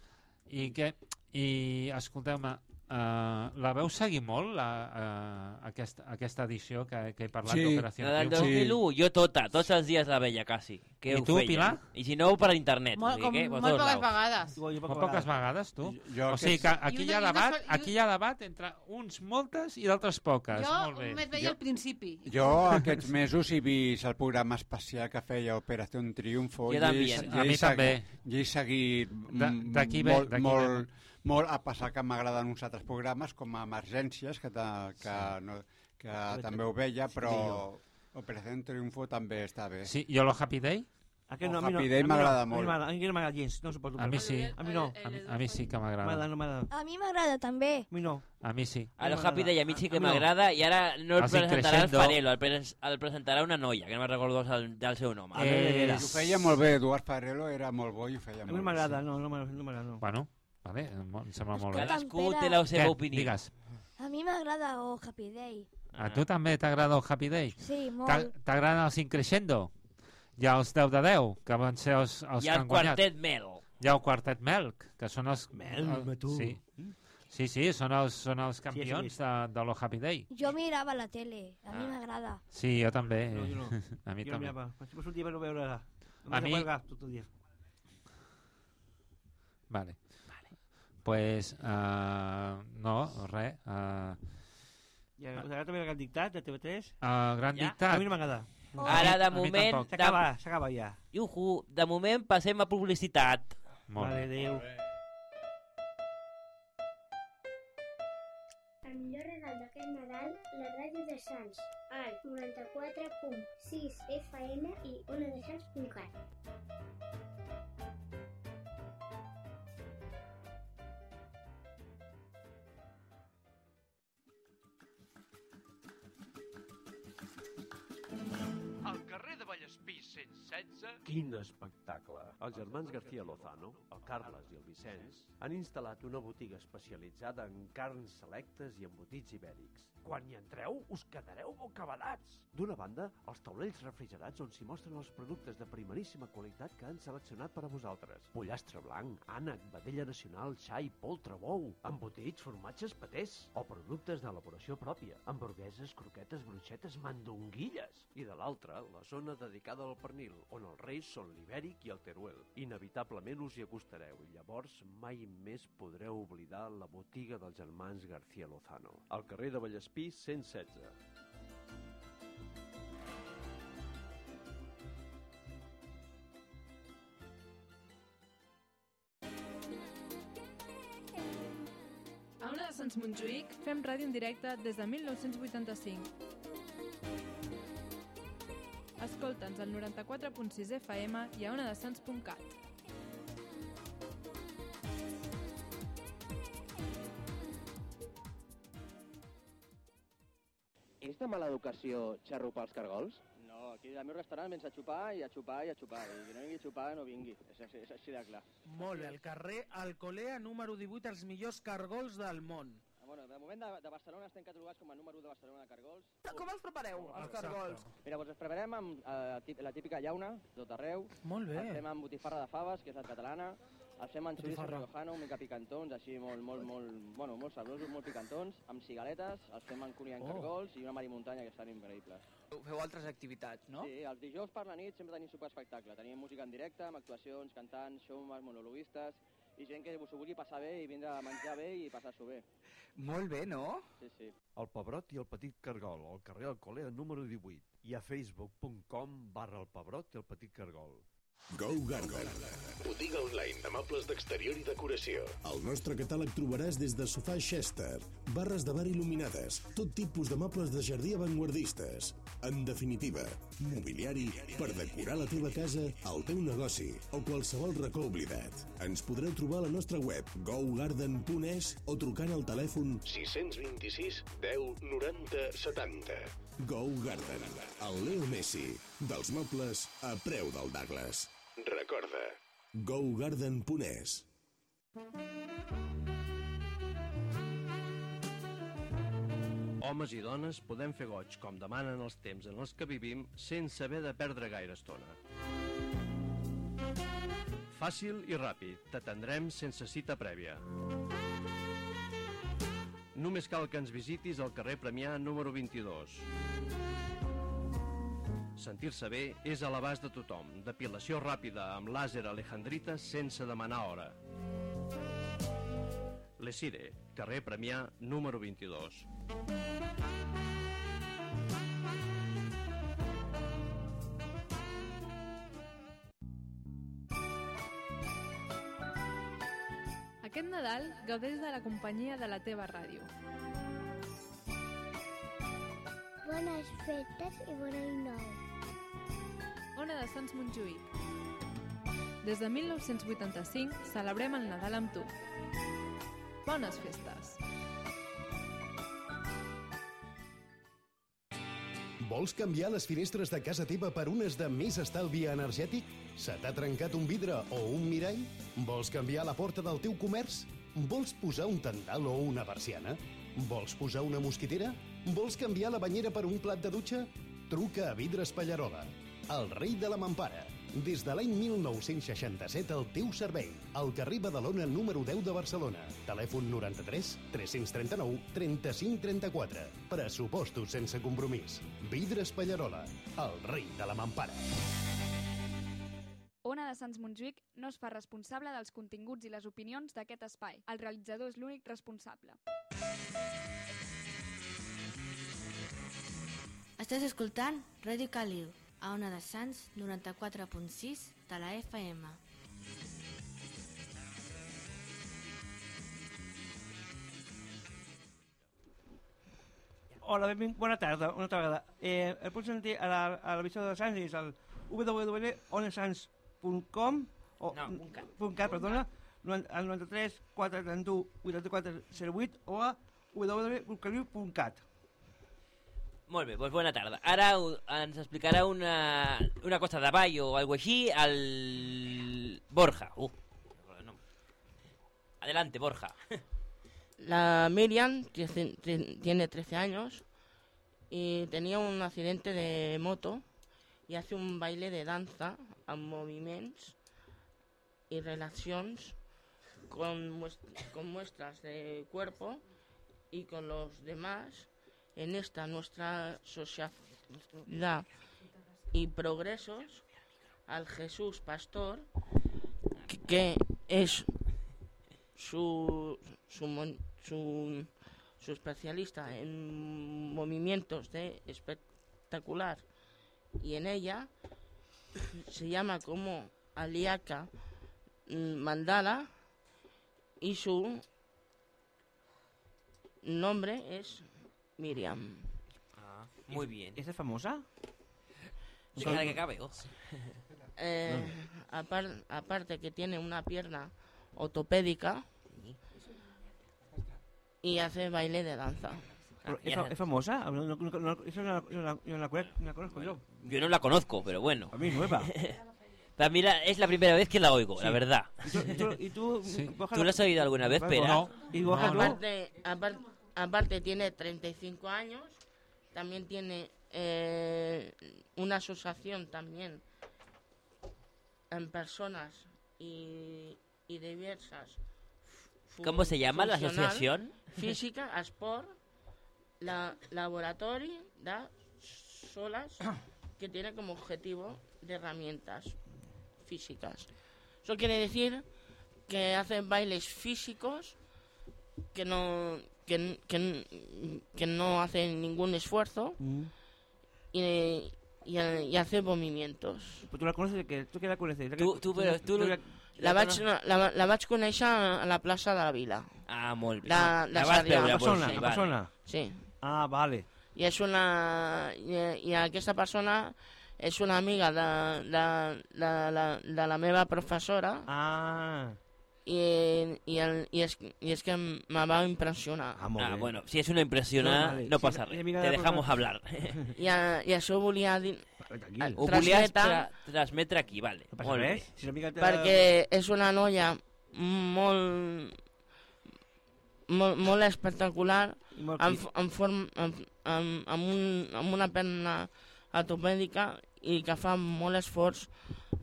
i què? I escolteu-me, uh, la veu seguir molt, la, uh, aquesta, aquesta edició que, que he parlat Sí. d'Operació La del Triunfo? dos mil u, jo tota, tots els dies la veia, quasi. Que I ho tu, feia. Pilar? I si no, per internet. Molt, o sigui com, que, per molt tots poques laus. vegades. Molt poques vegades, tu? Jo O sigui que aquests- aquí I hi ha una- i una debat, sol- i aquí hi ha debat entre uns moltes i d'altres poques. Jo Molt bé. només veia al principi. Jo aquests mesos he vist el programa especial que feia Operació Triunfo. Jo i també. he- A i he mi també. segui- I he seguit Da- mm, d'aquí ve- molt, d'aquí molt, molt, a passar que m'agraden uns altres programes com a Emergències, que, ta, que, no, que també ho veia, però Operació Triunfo també està bé. Sí, jo lo Happy Day? Aquest El no, a mi no. Happy Day A mi m'agrada no, molt. A mi m'agrada, a mi no m'agrada gens, no suporto. A mi sí. A mi no. A mi, a mi sí que m'agrada. M'agrada, no m'agrada. A mi m'agrada també. A mi no. A mi sí. El Happy Day a mi sí que A mi no. m'agrada i ara no el Els presentarà el Increscendo. Farelo, el, pres el presentarà una noia, que no me'n recordo el, del seu nom. Eh, I ho feia molt bé, Eduard Farelo era molt bo i ho feia A molt mi bé. m'agrada, no, no m'agrada. No m'agrada, no. Bueno, vale, em sembla molt bé. Cadascú té la seva Què? opinió. Digues. A mi m'agrada el Happy Day. A tu també t'agrada el Happy Day? Sí, molt. T'a- T'agraden els Increscendo? Hi ha els deu de deu, que van ser els, els Hi que ha el han guanyat. Quartet Mel. Hi ha el Quartet Melk, que són els... Melk, el, tu. Sí. Sí, sí, són els, són els campions de, de lo Happy Day. Jo mirava la tele, a mi m'agrada. Sí, jo també. No, jo no. A mi Jo també. mirava. Vaig sortir per no veure... A mi- Tot el dia. Vale. Pues, uh, no, res. Uh, I ara us agrada també el Gran Dictat de T V tres? El Gran Ja? Dictat. A mi no m'agrada. Ara, de A mi moment... tampoc. S'acaba, s'acaba ja. Iuhu, de moment passem a publicitat. Molt Vale, adéu. El millor regal d'aquest Nadal, la ràdio de Sants, al noranta-quatre punt sis F M i ona de sants punt cat. Al carrer de Vallespí cent setze... Quin espectacle! Els germans García Lozano, el Carles i el Vicenç, han instal·lat una botiga especialitzada en carns selectes i embotits ibèrics. Quan hi entreu, us quedareu bocabadats! D'una banda, els taulells refrigerats on s'hi mostren els productes de primeríssima qualitat que han seleccionat per a vosaltres. Pollastre blanc, ànec, vedella nacional, xai, poltre, bou, embotits, formatges, patés, o productes d'elaboració pròpia, hamburgueses, croquetes, bruixetes, mandonguilles. I de l'altra, la zona dedicada al pernil, on els reis són l'ibèric i el teruel. Inevitablement us hi acostareu i llavors mai més podreu oblidar la botiga dels germans García Lozano. Al carrer de Vallespí cent setze. A Ona de Sants Montjuïc fem ràdio en directe des de mil nou-cents vuitanta-cinc. Escolta'ns al noranta-quatre punt sis F M i a onadesans punt cat. És de mala educació xarrupar els cargols? No, aquí al meu restaurant vens a xupar i a xupar i a xupar. I qui no vingui a xupar no vingui. És, és, és així de clar. Molt bé, al carrer Alcolea número divuit, els millors cargols del món. Ah, bueno, de moment de, de Barcelona estem catalogats com a número u de Barcelona de cargols. Com els prepareu, els cargols? Mira, doncs els preparem amb eh, la típica llauna, tot arreu. Molt bé. Els fem amb botifarra de faves, que és la catalana. Els fem amb xoriço Botifarra. riojano, una mica picantons, així molt, molt, molt, bueno, molt sabrosos, molt picantons, amb cigaletes, els fem amb cunyant Oh. cargols i una marimuntanya que estan increïbles. Feu altres activitats, no? Sí, els dijous per la nit sempre tenim superespectacle. Tenim música en directe, amb actuacions, cantants, showmans, monologuistes i gent que s'ho vulgui passar bé i vindre a menjar bé i passar-s'ho bé. Molt bé, no? Sí, sí. El Pebrot i el Petit Cargol, al carrer Alcolea número divuit. I a facebook punt com barra el Pebrot i el Petit Cargol. Go Garden. Botiga online de mobles d'exterior i decoració. Al nostre catàleg trobaràs des de sofà Chester, barres de bar il·luminades, tot tipus de mobles de jardí avantguardistes. En definitiva, mobiliari per decorar la teva casa, el teu negoci o qualsevol racó oblidat. Ens podreu trobar a la nostra web go garden punt es o trucant al telèfon sis dos sis deu noranta setanta. Go Garden, el Leo Messi, dels mobles a preu del Douglas. Recorda, go garden punt es. Homes i dones podem fer goig com demanen els temps en els que vivim sense haver de perdre gaire estona. Fàcil i ràpid, t'atendrem sense cita prèvia. Només cal que ens visitis al carrer Premià número vint-i-dos. Sentir-se bé és a l'abast de tothom. Depilació ràpida amb làser alejandrita sense demanar hora. Lesire, carrer Premià número vint-i-dos. Aquest Nadal gaudeix de la companyia de la teva ràdio. Bones festes i bon any nou. Ona de Sants Montjuïc. Des de mil nou-cents vuitanta-cinc celebrem el Nadal amb tu. Bones festes! Vols canviar les finestres de casa teva per unes de més estalvi energètic? Se t'ha trencat un vidre o un mirall? Vols canviar la porta del teu comerç? Vols posar un tendal o una persiana? Vols posar una mosquitera? Vols canviar la banyera per un plat de dutxa? Truca a Vidres Pallarola, el rei de la mampara. Des de l'any mil nou-cents seixanta-set al teu servei. Al carrer Badalona número deu de Barcelona. Telèfon noranta-tres tres-cents trenta-nou trenta-cinc trenta-quatre. Pressupostos sense compromís. Vidres Pallarola, el rei de la mampara. Ona de Sants Montjuïc no es fa responsable dels continguts i les opinions d'aquest espai. El realitzador és l'únic responsable. Estàs escoltant Ràdio Caliu, a Ona de Sants noranta-quatre punt sis de la F M. Hola, benvingut, bona tarda, una altra vegada. Eh, el pots sentir a la, a la visió de Sants, és el w w w punt onesans punt com o No, punt cat. punt cat, perdona, al noranta-tres quatre trenta-u vuitanta-quatre zero vuit o a w w w punt caliu punt cat. Molt bé, doncs bona tarda. Ara u- ens explicarà una, una cosa de ball o algo així el Borja. Uh, no. Adelante, Borja. La Miriam tiene tiene trece años y tenía un accidente de moto y hace un baile de danza amb moviments y relacions con, muest- con muestras de cuerpo y con los demás en esta nuestra sociedad y progresos al Jesús Pastor, que, que es su, su, mon- su, su especialista en movimientos de espectacular, y en ella se llama como Aliaka Mandala y su nombre es Miriam. Ah, muy bien. ¿Es famosa? De cada que cabe, oh. Eh, apar- aparte que tiene una pierna ortopédica y hace baile de danza. ¿Es, fa- es famosa? No, no, no, no, eso no la, no la- no la conozco- no la conozco yo. Yo no la conozco, pero bueno. A mí nueva. Para mí la- es la primera vez que la oigo, Sí. la verdad. ¿Y tú, y tú, y tú, Borja, ¿Tú la has oído alguna vez, Pera? No. ¿Y Borja, tú? Aparte, apar- aparte tiene treinta y cinco años, también tiene eh, una asociación también en personas y, y diversas. fu- ¿Cómo se llama la funcional, asociación? Física, Esport, la laboratorio de solas que tiene como objetivo de herramientas físicas. Eso quiere decir que hacen bailes físicos que no que, que, que no hacen ningún esfuerzo y, y, y hace movimientos. Pues tú la conoces, que tú que la conoces. Tú- tú, però tu la, La vaig, la, la vaig conèixer a la plaça de la Vila. Ah, molt bé. La, La la vas Sarrià. veure, la persona, sí, la vale. persona. Sí. Ah, vale. I és una... I, i aquesta persona és una amiga de, de, de, de, de la meva professora. Ah. I, i, el, i, és, i és que me va impressionar. Ah, bueno, si es una impresiona, No, vale. no Si pasa la- res. la mira Te de la dejamos persona- hablar. I, a, i això volia dir... Ho volies tra transmetre aquí, vale. No passa Molt bé. res. Si l'amiga te- Perquè és una noia molt... molt, molt espectacular, I molt amb, crit. amb, form, amb, amb, amb, un, amb una perna ortopèdica i que fa molt esforç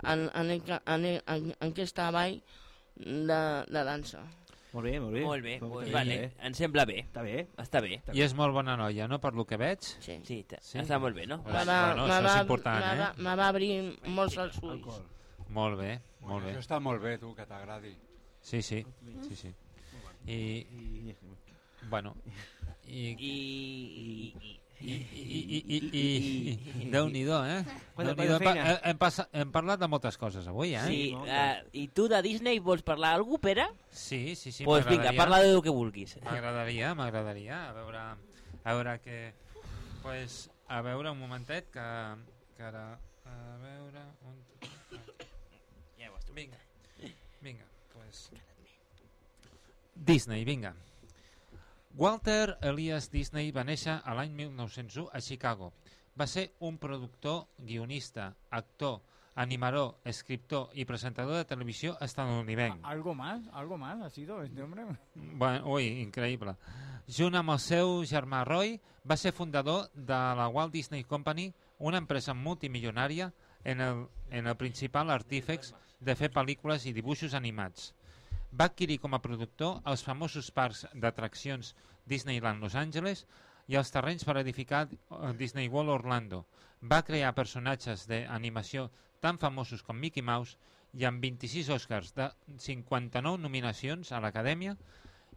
en, en, en, en, en, en aquesta ball de, de dansa. Molt bé, molt bé. Molt bé, Molt pues bé. vale. Em sembla bé. Està bé. Està bé. I és molt bona noia, no?, per lo que veig. Sí. Sí, està molt bé, no? Me va, Bueno, me això va, és important, me va, eh? me va obrir molts els ulls. Molt bé, molt bé. Això està molt bé, tu, que t'agradi. Sí, sí, sí, sí. I... Bueno, i... I... i, I, i, i, i, i, i Déu-n'hi-do, eh? Quanta- Déu-n'hi-do. quanta Hem, feina. hem, passa, hem parlat de moltes coses avui, eh? Sí, uh, i tu de Disney vols parlar alguna cosa, Pere? Sí, sí, sí, Pues vinga, m'agradaria. parla del que vulguis. M'agradaria, m'agradaria. A veure, a veure que... Pues, a veure, un momentet, que, que ara A veure... On... Ja ho has trobat. Vinga, vinga, pues... Disney, vinga. Walter Elias Disney va néixer a l'any mil nou-cents u a Chicago. Va ser un productor, guionista, actor, animador, escriptor i presentador de televisió estadounidenc. ¿Algo más? ¿Algo más ha sido este hombre? Bueno, ui, increïble. Junt amb el seu germà Roy, va ser fundador de la Walt Disney Company, una empresa multimilionària en el, en el principal artífex de fer pel·lícules i dibuixos animats. Va adquirir com a productor els famosos parcs d'atraccions Disneyland Los Angeles i els terrenys per edificar Disney World Orlando. Va crear personatges d'animació tan famosos com Mickey Mouse i amb vint-i-sis Oscars de cinquanta-nou nominacions a l'Acadèmia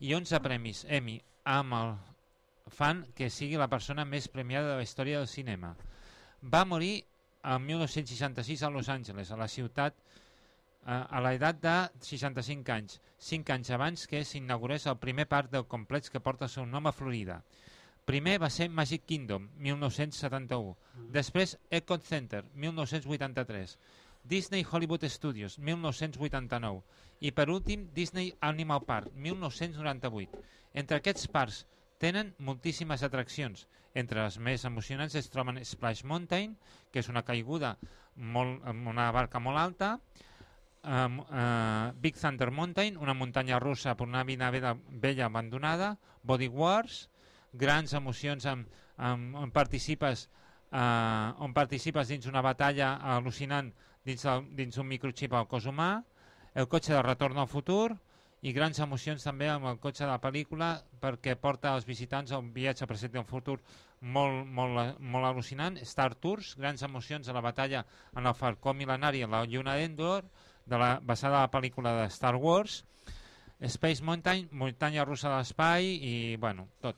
i onze premis Emmy amb el fan que sigui la persona més premiada de la història del cinema. Va morir en mil nou-cents seixanta-sis a Los Angeles, a la ciutat, a l'edat de seixanta-cinc anys, cinc anys abans que s'inaugurés el primer parc del complex que porta el seu nom a Florida. Primer va ser Magic Kingdom, mil nou-cents setanta-u. Després Epcot Center, mil nou-cents vuitanta-tres. Disney Hollywood Studios, mil nou-cents vuitanta-nou. I per últim, Disney Animal Park, mil nou-cents noranta-vuit. Entre aquests parcs tenen moltíssimes atraccions. Entre les més emocionants es troben Splash Mountain, que és una caiguda molt, amb una barca molt alta, um, uh, Big Thunder Mountain, una muntanya russa per una navega vella abandonada, Body Wars, grans emocions amb, amb, on, participes, uh, on participes dins una batalla al·lucinant dins, el, dins un microchip al cos humà, el cotxe de retorn al futur i grans emocions també amb el cotxe de la pel·lícula perquè porta als visitants a un viatge al present i al futur molt, molt, molt al·lucinant. Star Tours, grans emocions a la batalla en el Falcó Mil·lenari a la Lluna d'Endor, de la, basada a la pel·lícula de Star Wars. Space Mountain, muntanya russa de l'espai i, bueno, tot.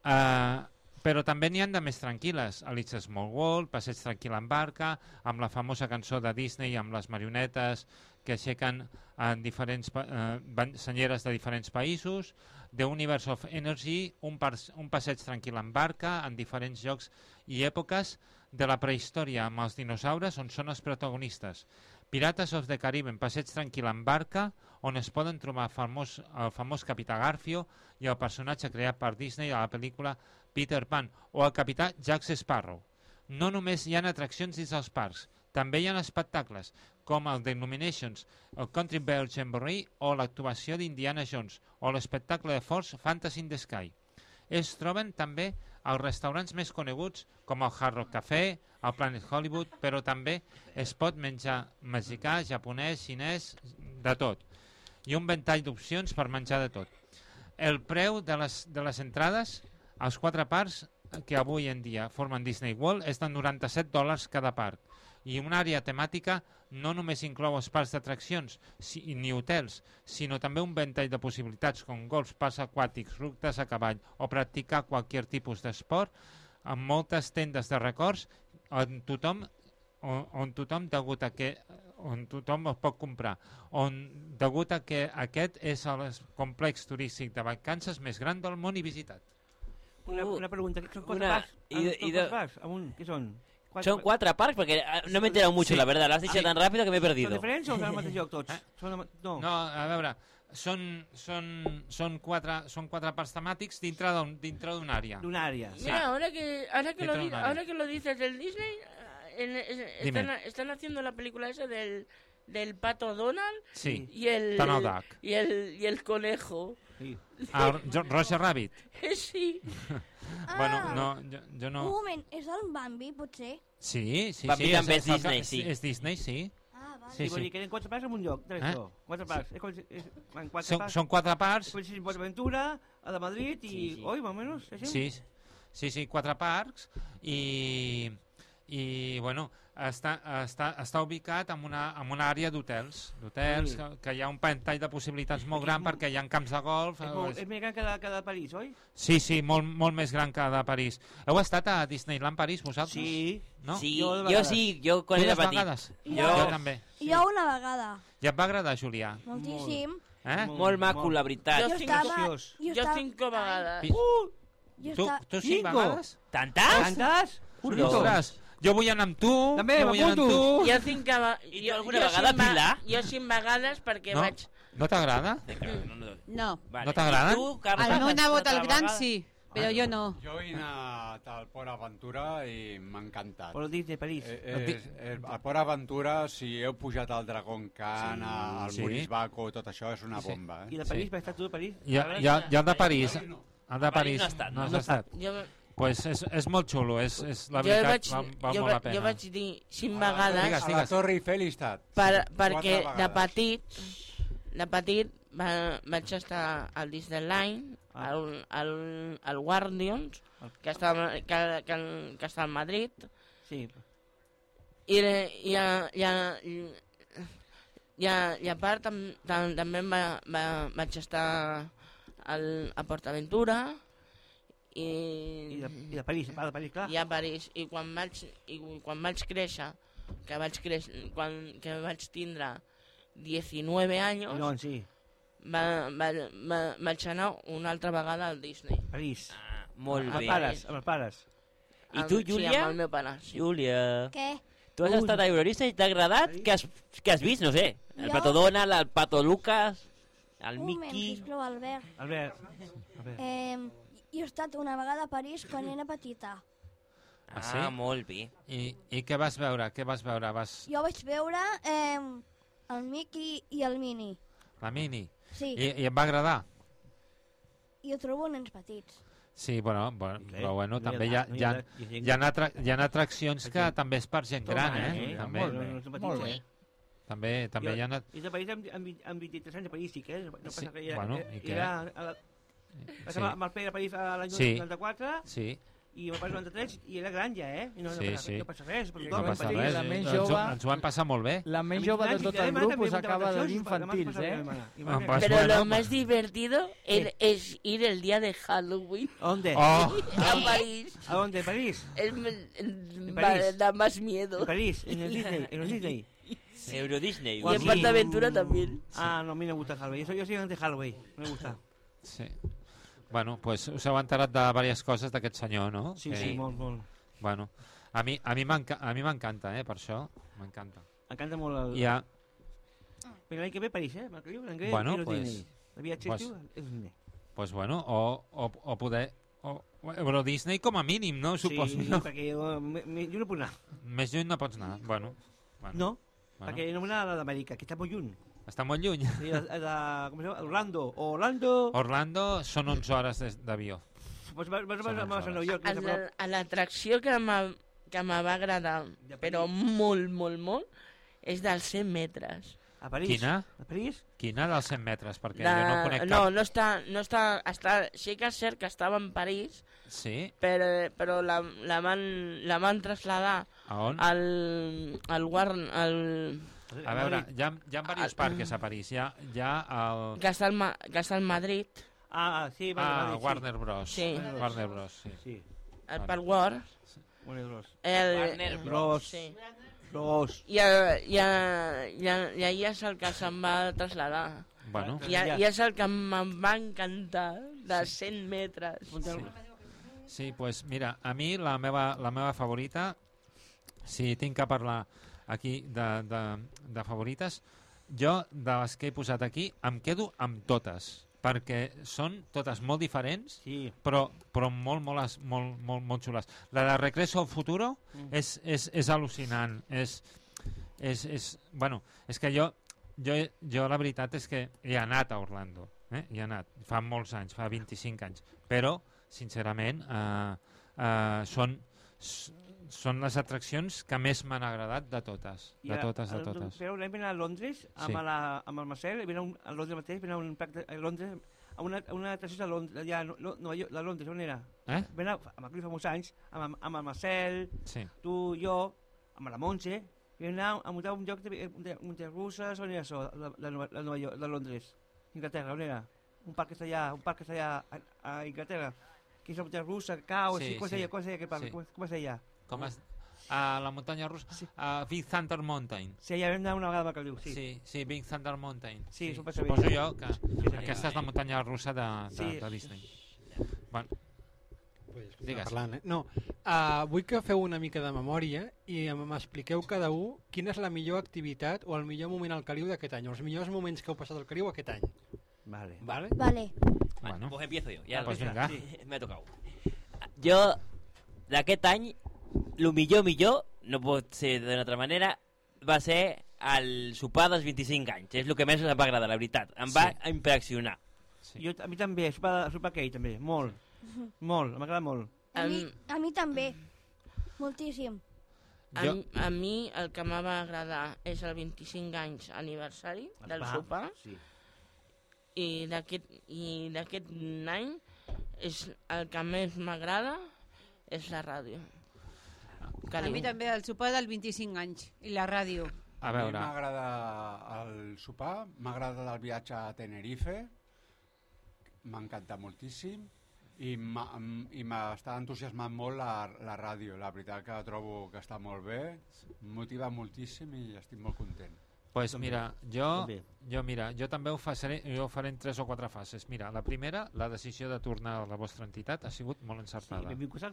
Uh, però també n'hi ha de més tranquil·les. Alice Small World, Passeig tranquil en barca, amb la famosa cançó de Disney amb les marionetes que aixequen en diferents uh, senyeres de diferents països, The Universe of Energy, un, un passeig tranquil en barca en diferents llocs i èpoques de la prehistòria amb els dinosaures on són els protagonistes. Pirates of the Caribbean, passeig tranquil en barca, on es poden trobar famós, el famós Capità Garfio i el personatge creat per Disney a la pel·lícula Peter Pan, o el capità Jack Sparrow. No només hi ha atraccions dins dels parcs, també hi ha espectacles, com el The Illuminations, el Country Bear Jamboree o l'actuació d'Indiana Jones, o l'espectacle de Force Fantasy in the Sky. Es troben també als restaurants més coneguts com el Hard Rock Café, el Planet Hollywood, però també es pot menjar mexicà, japonès, xinès, de tot. I un ventall d'opcions per menjar de tot. El preu de les, de les entrades als quatre parcs que avui en dia formen Disney World és de noranta-set dòlars cada parc. I una àrea temàtica no només inclou els parcs d'atraccions si, ni hotels, sinó també un ventall de possibilitats com golfs, parcs aquàtics, rutes a cavall o practicar qualsevol tipus d'esport, amb moltes tendes de records on tothom, on, on tothom degut a que on tothom es pot comprar, on degut a que aquest és el complex turístic de vacances més gran del món i visitat. Una, una pregunta, ¿son cuatro Una, parcs? y de- ¿Son y cuatro de- parcs? Aún, ¿qué son? Cuatro Son cuatro parcs, porque eh, no me he enterado mucho, Sí. la verdad. Lo has dicho Sí. tan rápido que me he perdido. Són diferents o són el mateix lloc tots? Són el, no. No, a veure, són, són, són, quatre, són quatre parcs temàtics dintre d'un- dintre d'una àrea. D'una àrea. Sí. Mira, ahora que, ahora, que lo, Dentro de di- un área. ahora que lo dices del Disney, en- es- Dime. están, están haciendo la película esa del, del pato Donald Sí, y el, Donald Duck. y el, y el conejo. Sí. El Jo- Roger Rabbit. Sí. Bueno, no, jo, jo Un no... moment, és el Bambi, potser? Sí, sí, Bambi sí. també és el Disney, que- sí. És Disney, sí. Ah, vale. Sí, Sí, vull sí. dir que eren quatre parcs en un lloc, de Eh? això. Quatre parcs. És, com si- és, van quatre Són, parcs. són quatre parcs. Després sí, Port Aventura, a de Madrid i... Sí, sí. Oi, más o menos, així? Sí, sí, sí, quatre parcs i, i bueno, està, està, està ubicat en una, en una àrea d'hotels, d'hotels, Sí. que, que hi ha un ventall de possibilitats molt gran perquè hi ha camps de golf. És, molt, és més gran que de, que de París, oi? Sí, sí, molt, molt més gran que de París. Heu estat a Disneyland París, vosaltres? Sí. No? Sí, Jo de yo vegades. sí, yo con Tu el dues petit. vegades? Jo- jo també. Jo una vegada, Ja et va agradar, Julià? moltíssim. Eh? Molt maco, la veritat. Jo Jo cinc, estava... preciós. Jo jo estava... cinco vegades. Pi- Uh! Jo Tu, estava... tu cinc Cinco. vegades? ¿Tantas? Tantes? Collons. Ostres, Jo vull anar amb tu. També, jo vull anar amb tu. Jo cinc, va... I tu alguna vegada, Pilar? Jo cinc vegades perquè No? vaig... No t'agrada? No. No t'agrada? El meu nebot, el gran, sí, però jo no. Jo he anat al Port Aventura i m'ha encantat. Port Disney, París. Eh, eh, eh, al Port Aventura, si heu pujat al Dragon Khan, Sí. al Sí. Morisbaco, tot això és una Sí. bomba. Eh? I de París, vas estar tu de París? I, i, i el de París. El de París no ha estat, no no? has No ha estat. Jo- Pues és, és molt xulo, és, és la Jo veritat, vaig, val, val jo, molt la va- pena. jo vaig dir cinc A vegades Digues, A digues. la Torre Eiffel he estat. per, Quatre perquè de vegades. petit de petit va, vaig estar al Disneyland, al, al, al Guardians, que està, que, que, que està al Madrid, Sí. i, i, a, i, a, i, a, i a part tam, tam, també va, va, vaig estar al, a PortAventura i, I de, i de París, va de París, clar. i a París. I quan vaig, i quan vaig créixer, que vaig, creix, quan, que vaig tindre diecinueve anys, No, sí. va, va, va, vaig anar una altra vegada al Disney. París. Ah, molt Amb bé. els pares, amb els pares. I tu, Amb- Júlia? Sí, amb el meu pare. Sí. Júlia, Què? tu has estat a Eurorista i t'ha agradat? Què has, què has vist? No sé. El Jo? Pato Donald, el Pato Lucas, el Un moment, Mickey... sisplau, Albert. Albert. Albert. Eh, jo he estat una vegada a París quan era petita. Ah, sí? Ah, molt bé. I, I què vas veure? Què vas veure? Vas... Jo vaig veure eh, el Mickey i el Minnie. La Mini? Sí. I, I et va agradar? I ho trobo nens petits. Sí, bueno, bueno Clar, però bueno, no hi ha també hi ha, edat, no hi hi ha ha, edat, hi ha gent hi ha, atra hi ha atraccions que també és per gent Toma, gran, eh? eh? També, Molt bé, no, no, molt bé. També, també Jo- hi ha... Una... I de París amb, amb, vint- amb vint-i-tres anys de París, sí que és, no passa Sí, res. Era, bueno, era, i què? era, a la, Sí. sí. amb el Pere a París a l'any Sí. noranta-quatre Sí. i el pare noranta-tres i era gran ja, eh? I no, Sí, no, passa, sí. no passa res. Per No tothom, passa París. res, La eh? més ens, ho, jove- ens ho vam passar molt bé. La més jove de tot el grup us acaba de dir infantils, eh? Ah, pues Pero bueno, lo más divertido es, es ir el día de Halloween. ¿Dónde? Oh. A París. ¿A dónde? ¿En París? Es, el- ¿En va- París? da más miedo. En París, en el Disney, en el Disney. Euro Disney. Y en PortAventura también. Ah, no, a mí no me gusta Halloween. Yo, yo soy de Halloween, no me gusta. Sí. Bueno, pues us heu enterat de diverses coses d'aquest senyor, no? Sí, sí, molt, molt. Bueno, a mi, a mi m'enca- a mi m'encanta, eh, per això. M'encanta. Encanta molt el... Hi ha... Però l'any que ve París, eh? L'any que ve, l'any que ve Bueno, Euro pues- Disney. El viatge pues- estiu és Disney. Pues bueno, o, o, o poder... O, Euro Disney com a mínim, no? Suposo. Sí, no? perquè jo, me, me, jo no puc anar. Més lluny no pots anar. Bueno, bueno. No, Bueno. perquè no vull anar a l'Amèrica, que està molt lluny. Està molt lluny. Sí, a, a, a, com es diu? Orlando. Orlando. Orlando són onze hores des- d'avió. Pues vas, vas, vas, Són vas a onze Nova York. A que és a la- prop. a l'atracció que m'ha- que me va agradar, però molt, molt, molt, és dels cent metres. A París. Quina? A París? Quina dels cent metres? Perquè De... jo no conec no, cap... no està, no està, està... Sí que és cert que estava en París, Sí? però, però la, la, van, la van traslladar A on? al, al, Warn, al, A veure, hi ha, hi ha diversos parques a París. Hi ha, hi ha el... que, està al, Ma- que està al Madrid, Ah, sí, va, Ah, va, sí. Warner Bros. Sí. Warner Bros, sí. Sí. el Vale. Park War, Warner Bros. el, Warner Bros. Sí. Bros. I, a, i, a, i, a, i ahir és el que se'n va traslladar. Bueno. I, a, I és el que em va encantar, de cent metres. Sí. Sí, pues mira, a mi la meva, la meva favorita, si tinc que parlar aquí de, de, de favorites, jo de les que he posat aquí em quedo amb totes, perquè són totes molt diferents, sí. però, però molt, molt, es- molt, molt, molt xules. La de Regreso al Futuro Mm. és, és, és al·lucinant, és, és, és, bueno, és que jo, jo, jo la veritat és que he anat a Orlando, eh? Hi he anat, fa molts anys, fa vint-i-cinc anys, però sincerament eh, eh, són, s- són les atraccions que més m'han agradat de totes, de totes, de totes. Però vam anar a Londres amb, Sí. la, amb el Marcel, vam anar un, a Londres mateix, vam anar a un parc de, a Londres, a una, a una atracció de Londres, allà, a Lo- Nova York, de Londres, on era? Eh? Vam anar amb el Cliff fa molts anys, amb, amb el Marcel, Sí. tu, jo, amb la Montse, vam anar a muntar un lloc de, de, de russes, on era això, de, de, Nova- de, Nova York, de Londres, Inglaterra, on era? Un parc que està allà, un parc que està allà a, a Inglaterra, que és la muntanya russa, caos, Sí, sí, com es sí. deia, com es deia aquest parc, Sí. com, com es deia? Com es... A la muntanya russa, sí. a Big Thunder Mountain. Sí, allà vam anar una vegada a Macaliu, sí. Sí, sí, Big Thunder Mountain. Sí, s'ho passa bé. Suposo jo que Sí, sí. aquesta és la muntanya russa de, de, Sí. de Disney. Bueno, Digues. Parlant, eh? No, uh, vull que feu una mica de memòria i m'expliqueu cada un quina és la millor activitat o el millor moment al Caliu d'aquest any, o els millors moments que heu passat al Caliu aquest any. Vale. ¿Vale? Vale. Bueno, pues empiezo yo. Ya Ah, pues venga. Sí, me ha tocado. Jo, d'aquest any, el millor, millor, no pot ser d'una altra manera, va ser el sopar dels vint-i-cinc anys. És el que més em va agradar, la veritat. Em va Sí. impressionar. Sí. Jo, a mi també, sopar, sopar aquell també, molt. Molt, m'agrada molt. A mi, a mi també. Moltíssim. A, jo... a mi el que m'ha agradar és el vint-i-cinc anys aniversari del Va, sopar. Sí. I d'aquest i d'aquest any és el que més m'agrada és la ràdio. A mi també el sopar del vint-i-cinc anys i la ràdio. A veure. A mi m'agrada el sopar, m'agrada el viatge a Tenerife, m'ha encantat moltíssim i m'està entusiasmant molt la, la ràdio. La veritat que trobo que està molt bé, em motiva moltíssim i estic molt content. Pues mira, jo, jo, mira, jo també ho faré, jo ho faré en tres o quatre fases. Mira, la primera, la decisió de tornar a la vostra entitat ha sigut molt encertada. Sí, benvingut.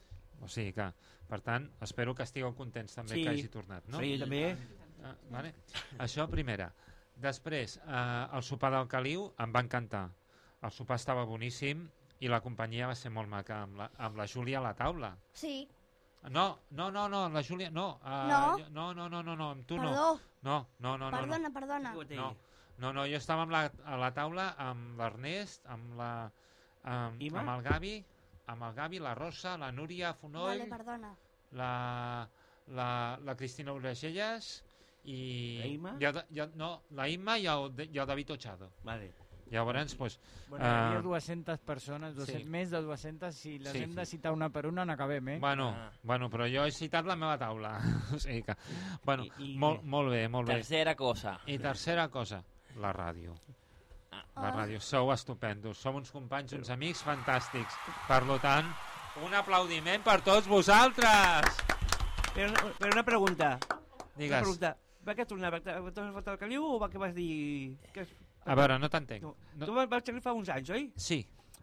O sigui que, per tant, espero que estigueu contents també Sí. que hagi tornat, no? Sí, també. Ah, vale. Això primera. Després, eh, el sopar del Caliu em va encantar. El sopar estava boníssim i la companyia va ser molt maca, amb la, amb la Júlia a la taula. Sí. No, no, no, no, la Júlia, no. Uh, No? jo, no, no, no, no, no, amb tu Perdó. no. No, no, no, no. Perdona, no. perdona. No, no, no, jo estava amb la, a la taula amb l'Ernest, amb, la, amb, Ima? amb el Gavi, amb el Gavi, la Rosa, la Núria Fonoll, Vale, perdona. la, la, la Cristina Urgelles i... La Imma? I el, i el, no, la Imma i el, i el David Ochado. Vale. Llavors, pues, Bueno, hi havia eh, dues-centes persones, dues-centes, sí. més de dues-centes, si les Sí, hem de sí. citar una per una n'acabem, eh? Bueno, bueno, però jo he citat la meva taula. O sigui que, bueno, I- i molt, què? molt bé, molt bé. Tercera cosa. I tercera cosa, la ràdio. Ah. La ràdio, sou estupendos, som uns companys, uns amics fantàstics. Per tant, un aplaudiment per tots vosaltres! Però, però una pregunta. Digues. Una pregunta. Va què tornar? Va tornar al Caliu o va què vas dir? Que... A veure, no t'entenc. No. No. Tu vas vas tenir fa uns anys, oi? Sí.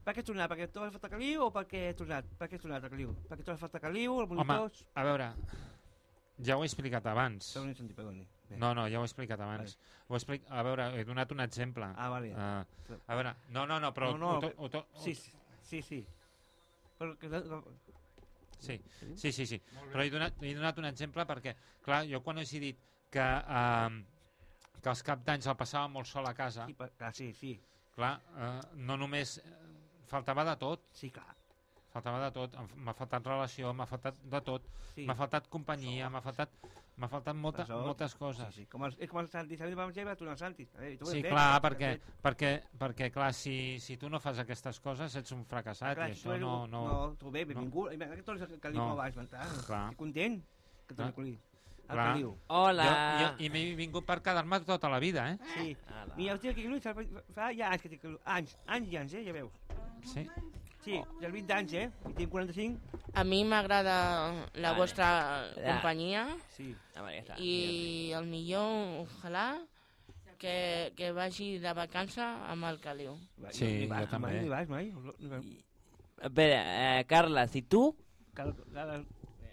Per què has tornat? Perquè tu has fet el Caliu o perquè has tornat? Per què has tornat al Caliu? Perquè tu has fet el Caliu, el Home, monitors... a veure, ja ho he explicat abans. Perdoni, senti, perdoni. Bé. No, no, ja ho he explicat abans. Ho he explic... A veure, he donat un exemple. Ah, vale. Uh, a veure, no, no, no, però... No, no, ho to, ho to, sí, sí, sí. Però que... Sí, sí, sí, sí. Però he donat, he donat un exemple perquè, clar, jo quan he dit que, eh, que els cap d'anys el passava molt sol a casa, Sí, per... ah, sí, sí. clar, eh, no només eh, faltava de tot. Sí, clar. Faltava de tot, em- m'ha faltat relació, m'ha faltat de tot, Sí. m'ha faltat companyia, m'ha faltat, m'ha faltat molta, Per sort. moltes coses. Sí, sí. Com el, és com el Santi, Santi va menjar i va tornar al Santi. A veure, tu ho Sí, has fet, clar, ho has perquè, fet. perquè, perquè clar, si, si tu no fas aquestes coses ets un fracassat Clar, i tu això eres no... un- No, no, tu bé, benvingut. No. Que tornes al Caliu No. no. abans, mental. Clar. Estic content que torni Clar. al Caliu. Al Clar. Caliu. Hola. Jo, jo, I m'he vingut per quedar-me tota la vida, eh? Sí. Mira, el tio aquí, Lluís, fa ja anys que tinc Caliu. Anys, anys i anys, eh, ja veus. Sí? Sí, ja vint anys, eh? I tinc quaranta-cinc. A mi m'agrada la Vale. vostra Ja. companyia Sí. Ah, vale, ja està. i el millor, ojalà, que, que vagi de vacança amb el Caliu. Sí, Ni vas, jo també. Mai, ni vas, mai. Ni vas. A veure, eh, Carles, i tu? Cal, cal,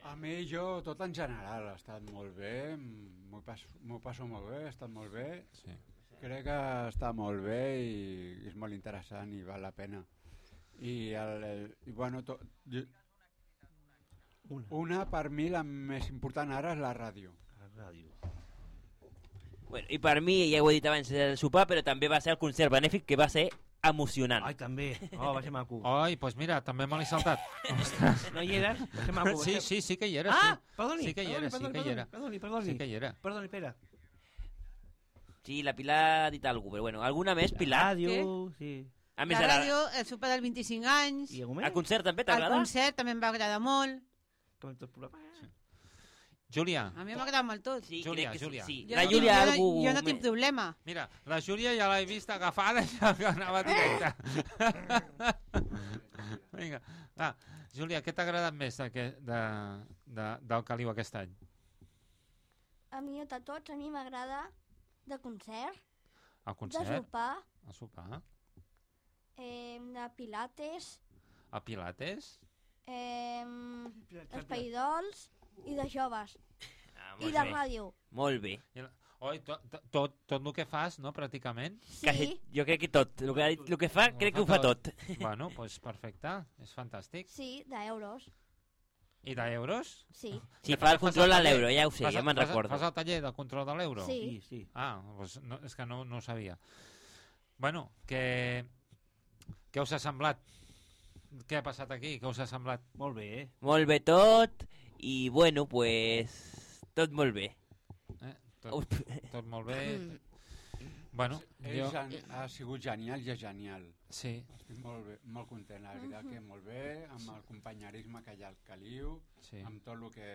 A mi, jo, tot en general, ha estat molt bé, m'ho passo, m'ho passo molt bé, ha estat molt bé. Sí. Crec que està molt bé i és molt interessant i val la pena. I, el, el, i bueno, to, jo, Una. una, per mi, la més important ara és la ràdio. La ràdio. Bueno, i per mi, ja ho he dit abans, el sopar, però també va ser el concert benèfic, que va ser emocionant. Ai, també. Oh, va ser maco. Ai, doncs pues mira, també me l'he saltat. Ostres. No hi eres? Va ser maco. va Sí, ser- sí, sí que hi era. Ah, sí. perdoni. Sí que hi perdoni, era, sí perdoni, que hi era. Perdoni, perdoni. Sí que hi era. Perdoni, espera. Sí, la Pilar ha dit alguna cosa, però bueno, alguna més, Pilar? Ràdio, sí. A més, La ara, ràdio, el sopar del vint-i-cinc anys, I algú el més? concert també el t'agrada? concert també em va agradar molt. Com tot programa. Júlia, A mi m'ha agradat molt tot. Sí, Júlia, crec que sí, Júlia. sí. Jo La no Júlia, tinc, jo, algú... no, jo no tinc problema. mira, la Júlia ja l'he vist agafada i ja que anava directa. Vinga, va. Júlia, què t'ha agradat més de, de, de, del Caliu aquest any? A mi de tots, a mi m'agrada de concert, El de concert? sopar, El sopar? eh, de pilates, El Pilates? eh, espaidols i de joves. Ah, I de ràdio. Molt bé. Oi, tot, tot, tot el que fas, no, pràcticament? Sí. Quasi, jo crec que tot. El que, el que fa, crec que ho fa tot. Bueno, doncs pues perfecte. És fantàstic. Sí, d'euros. I d'euros? Sí. Sí, fa el control a l'euro, ja ho sé, ja me'n recordo. Fas el taller del control de l'euro? Sí. Sí, sí. Ah, doncs no, és que no, no ho sabia. Bueno, què, què us ha semblat? Què ha passat aquí? Què us ha semblat? Molt bé, eh? Molt bé tot, i bueno, pues... tot molt bé. Eh? Tot, tot molt bé. Bueno, és, jo... ha sigut genial i és genial. Sí. Estic molt, bé, molt content, la veritat que molt bé, amb el companyerisme que hi ha al Caliu, sí. amb tot el que...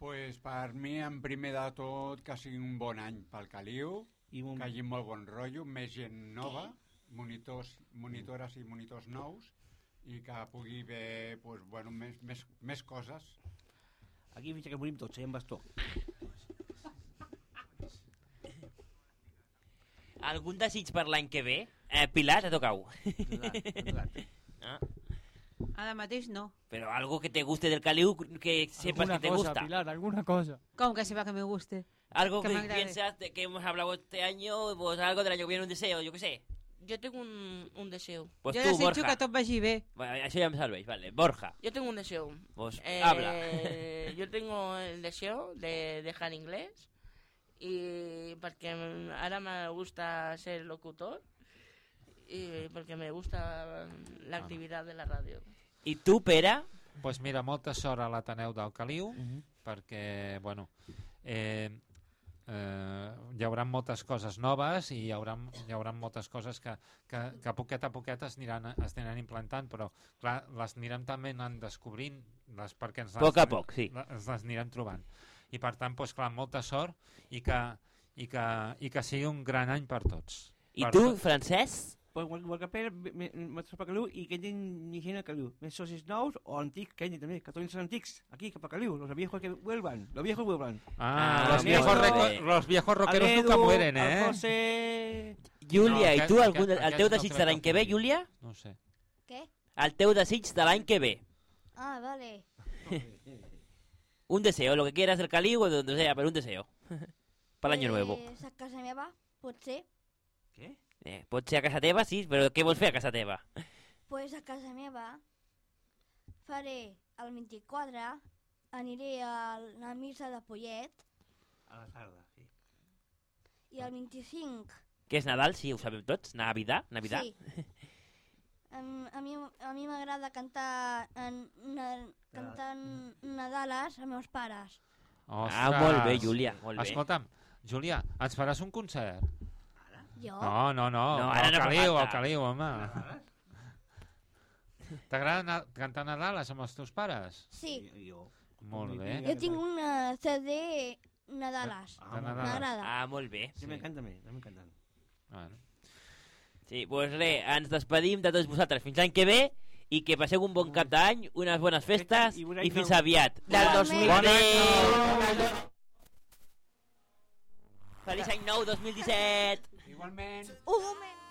Pues per mi, en primer de tot, que sigui un bon any pel Caliu, I un... que hi hagi molt bon rotllo, més gent nova, monitors, monitores i monitors nous, i que pugui haver pues, bueno, més, més, més coses. Aquí fins que morim tots, eh, en bastó. Algun desig per l'any que ve? Eh, Pilar, te tocau. Ah. Ara mateix no. Pero algo que te guste del Caliu, que sepas Alguna que te cosa, gusta. Pilar, alguna cosa. ¿Cómo que sepa que me guste? Algo que, que piensas de que hemos hablado este año, pues algo del año que viene, un deseo, yo qué sé. Yo tengo un, un deseo. Pues yo tú, desitjo Borja. que tot vagi bé. Bueno, eso ya me salvéis, vale. Borja. Yo tengo un deseo. Pues eh, habla. Yo tengo el deseo de dejar inglés y porque ahora me gusta ser locutor y porque me gusta la actividad de la radio. I tu, Pere? Doncs pues mira, molta sort a l'Ateneu del Caliu, uh -huh. perquè, bueno, eh, eh, hi haurà moltes coses noves i hi haurà, hi haurà moltes coses que, que, que poquet a poquet es aniran, es aniran implantant, però clar, les anirem també anant descobrint, les, perquè ens les, poc a poc, sí. les, les anirem trobant. I per tant, doncs, clar, molta sort i que, i que, i que sigui un gran any per tots. I per tu, tot. Francesc? Pues igual que Pere, m'ha traspat a Caliu i que hi gent a Caliu. Més socis nous o antics, que hi també, que tots són antics, aquí, cap a Caliu, los viejos que vuelvan, los viejos vuelvan. Ah, ah los, viejos reco- los viejos rockeros Edu, nunca mueren, eh? El José... Júlia, no, i aquest, tu, algun, aquest, el teu aquest desig no de l'any que ve, Júlia? No sé. Què? El teu desig de l'any que ve. Ah, vale. Un deseo, lo que quieras del Caliu o de donde sea, pero un deseo. Para el año nuevo. Pues a casa meva, potser. Què? Eh, pot ser a casa teva, sí, però què vols fer a casa teva? Pues a casa meva faré el vint-i-quatre, aniré a la missa de Pollet. A la tarda, sí. I el vint-i-cinc... Que és Nadal, sí, ho sabem tots. Navidad, Navidad. Sí. Um, a mi a mi m'agrada cantar, en, na, cantar Nadales amb meus pares. Ostres. Ah, molt bé, Júlia, molt bé. Escolta'm, Júlia, ens faràs un concert? Jo? No, no, no, No, al ara no Caliu, fa al falta. Caliu, home. T'agrada na- cantar Nadales amb els teus pares? Sí. Jo. Molt bé. Jo tinc una C D Nadales. De Nadales. M'agrada. Ah, molt bé. Sí, m'encanta a mi, m'encanta. Bueno. Sí, doncs pues res, ens despedim de tots vosaltres fins l'any que ve i que passeu un bon cap d'any, unes bones festes i, i fins aviat. Del dos mil deu. Feliç any nou dos mil disset. Igualment. Un moment.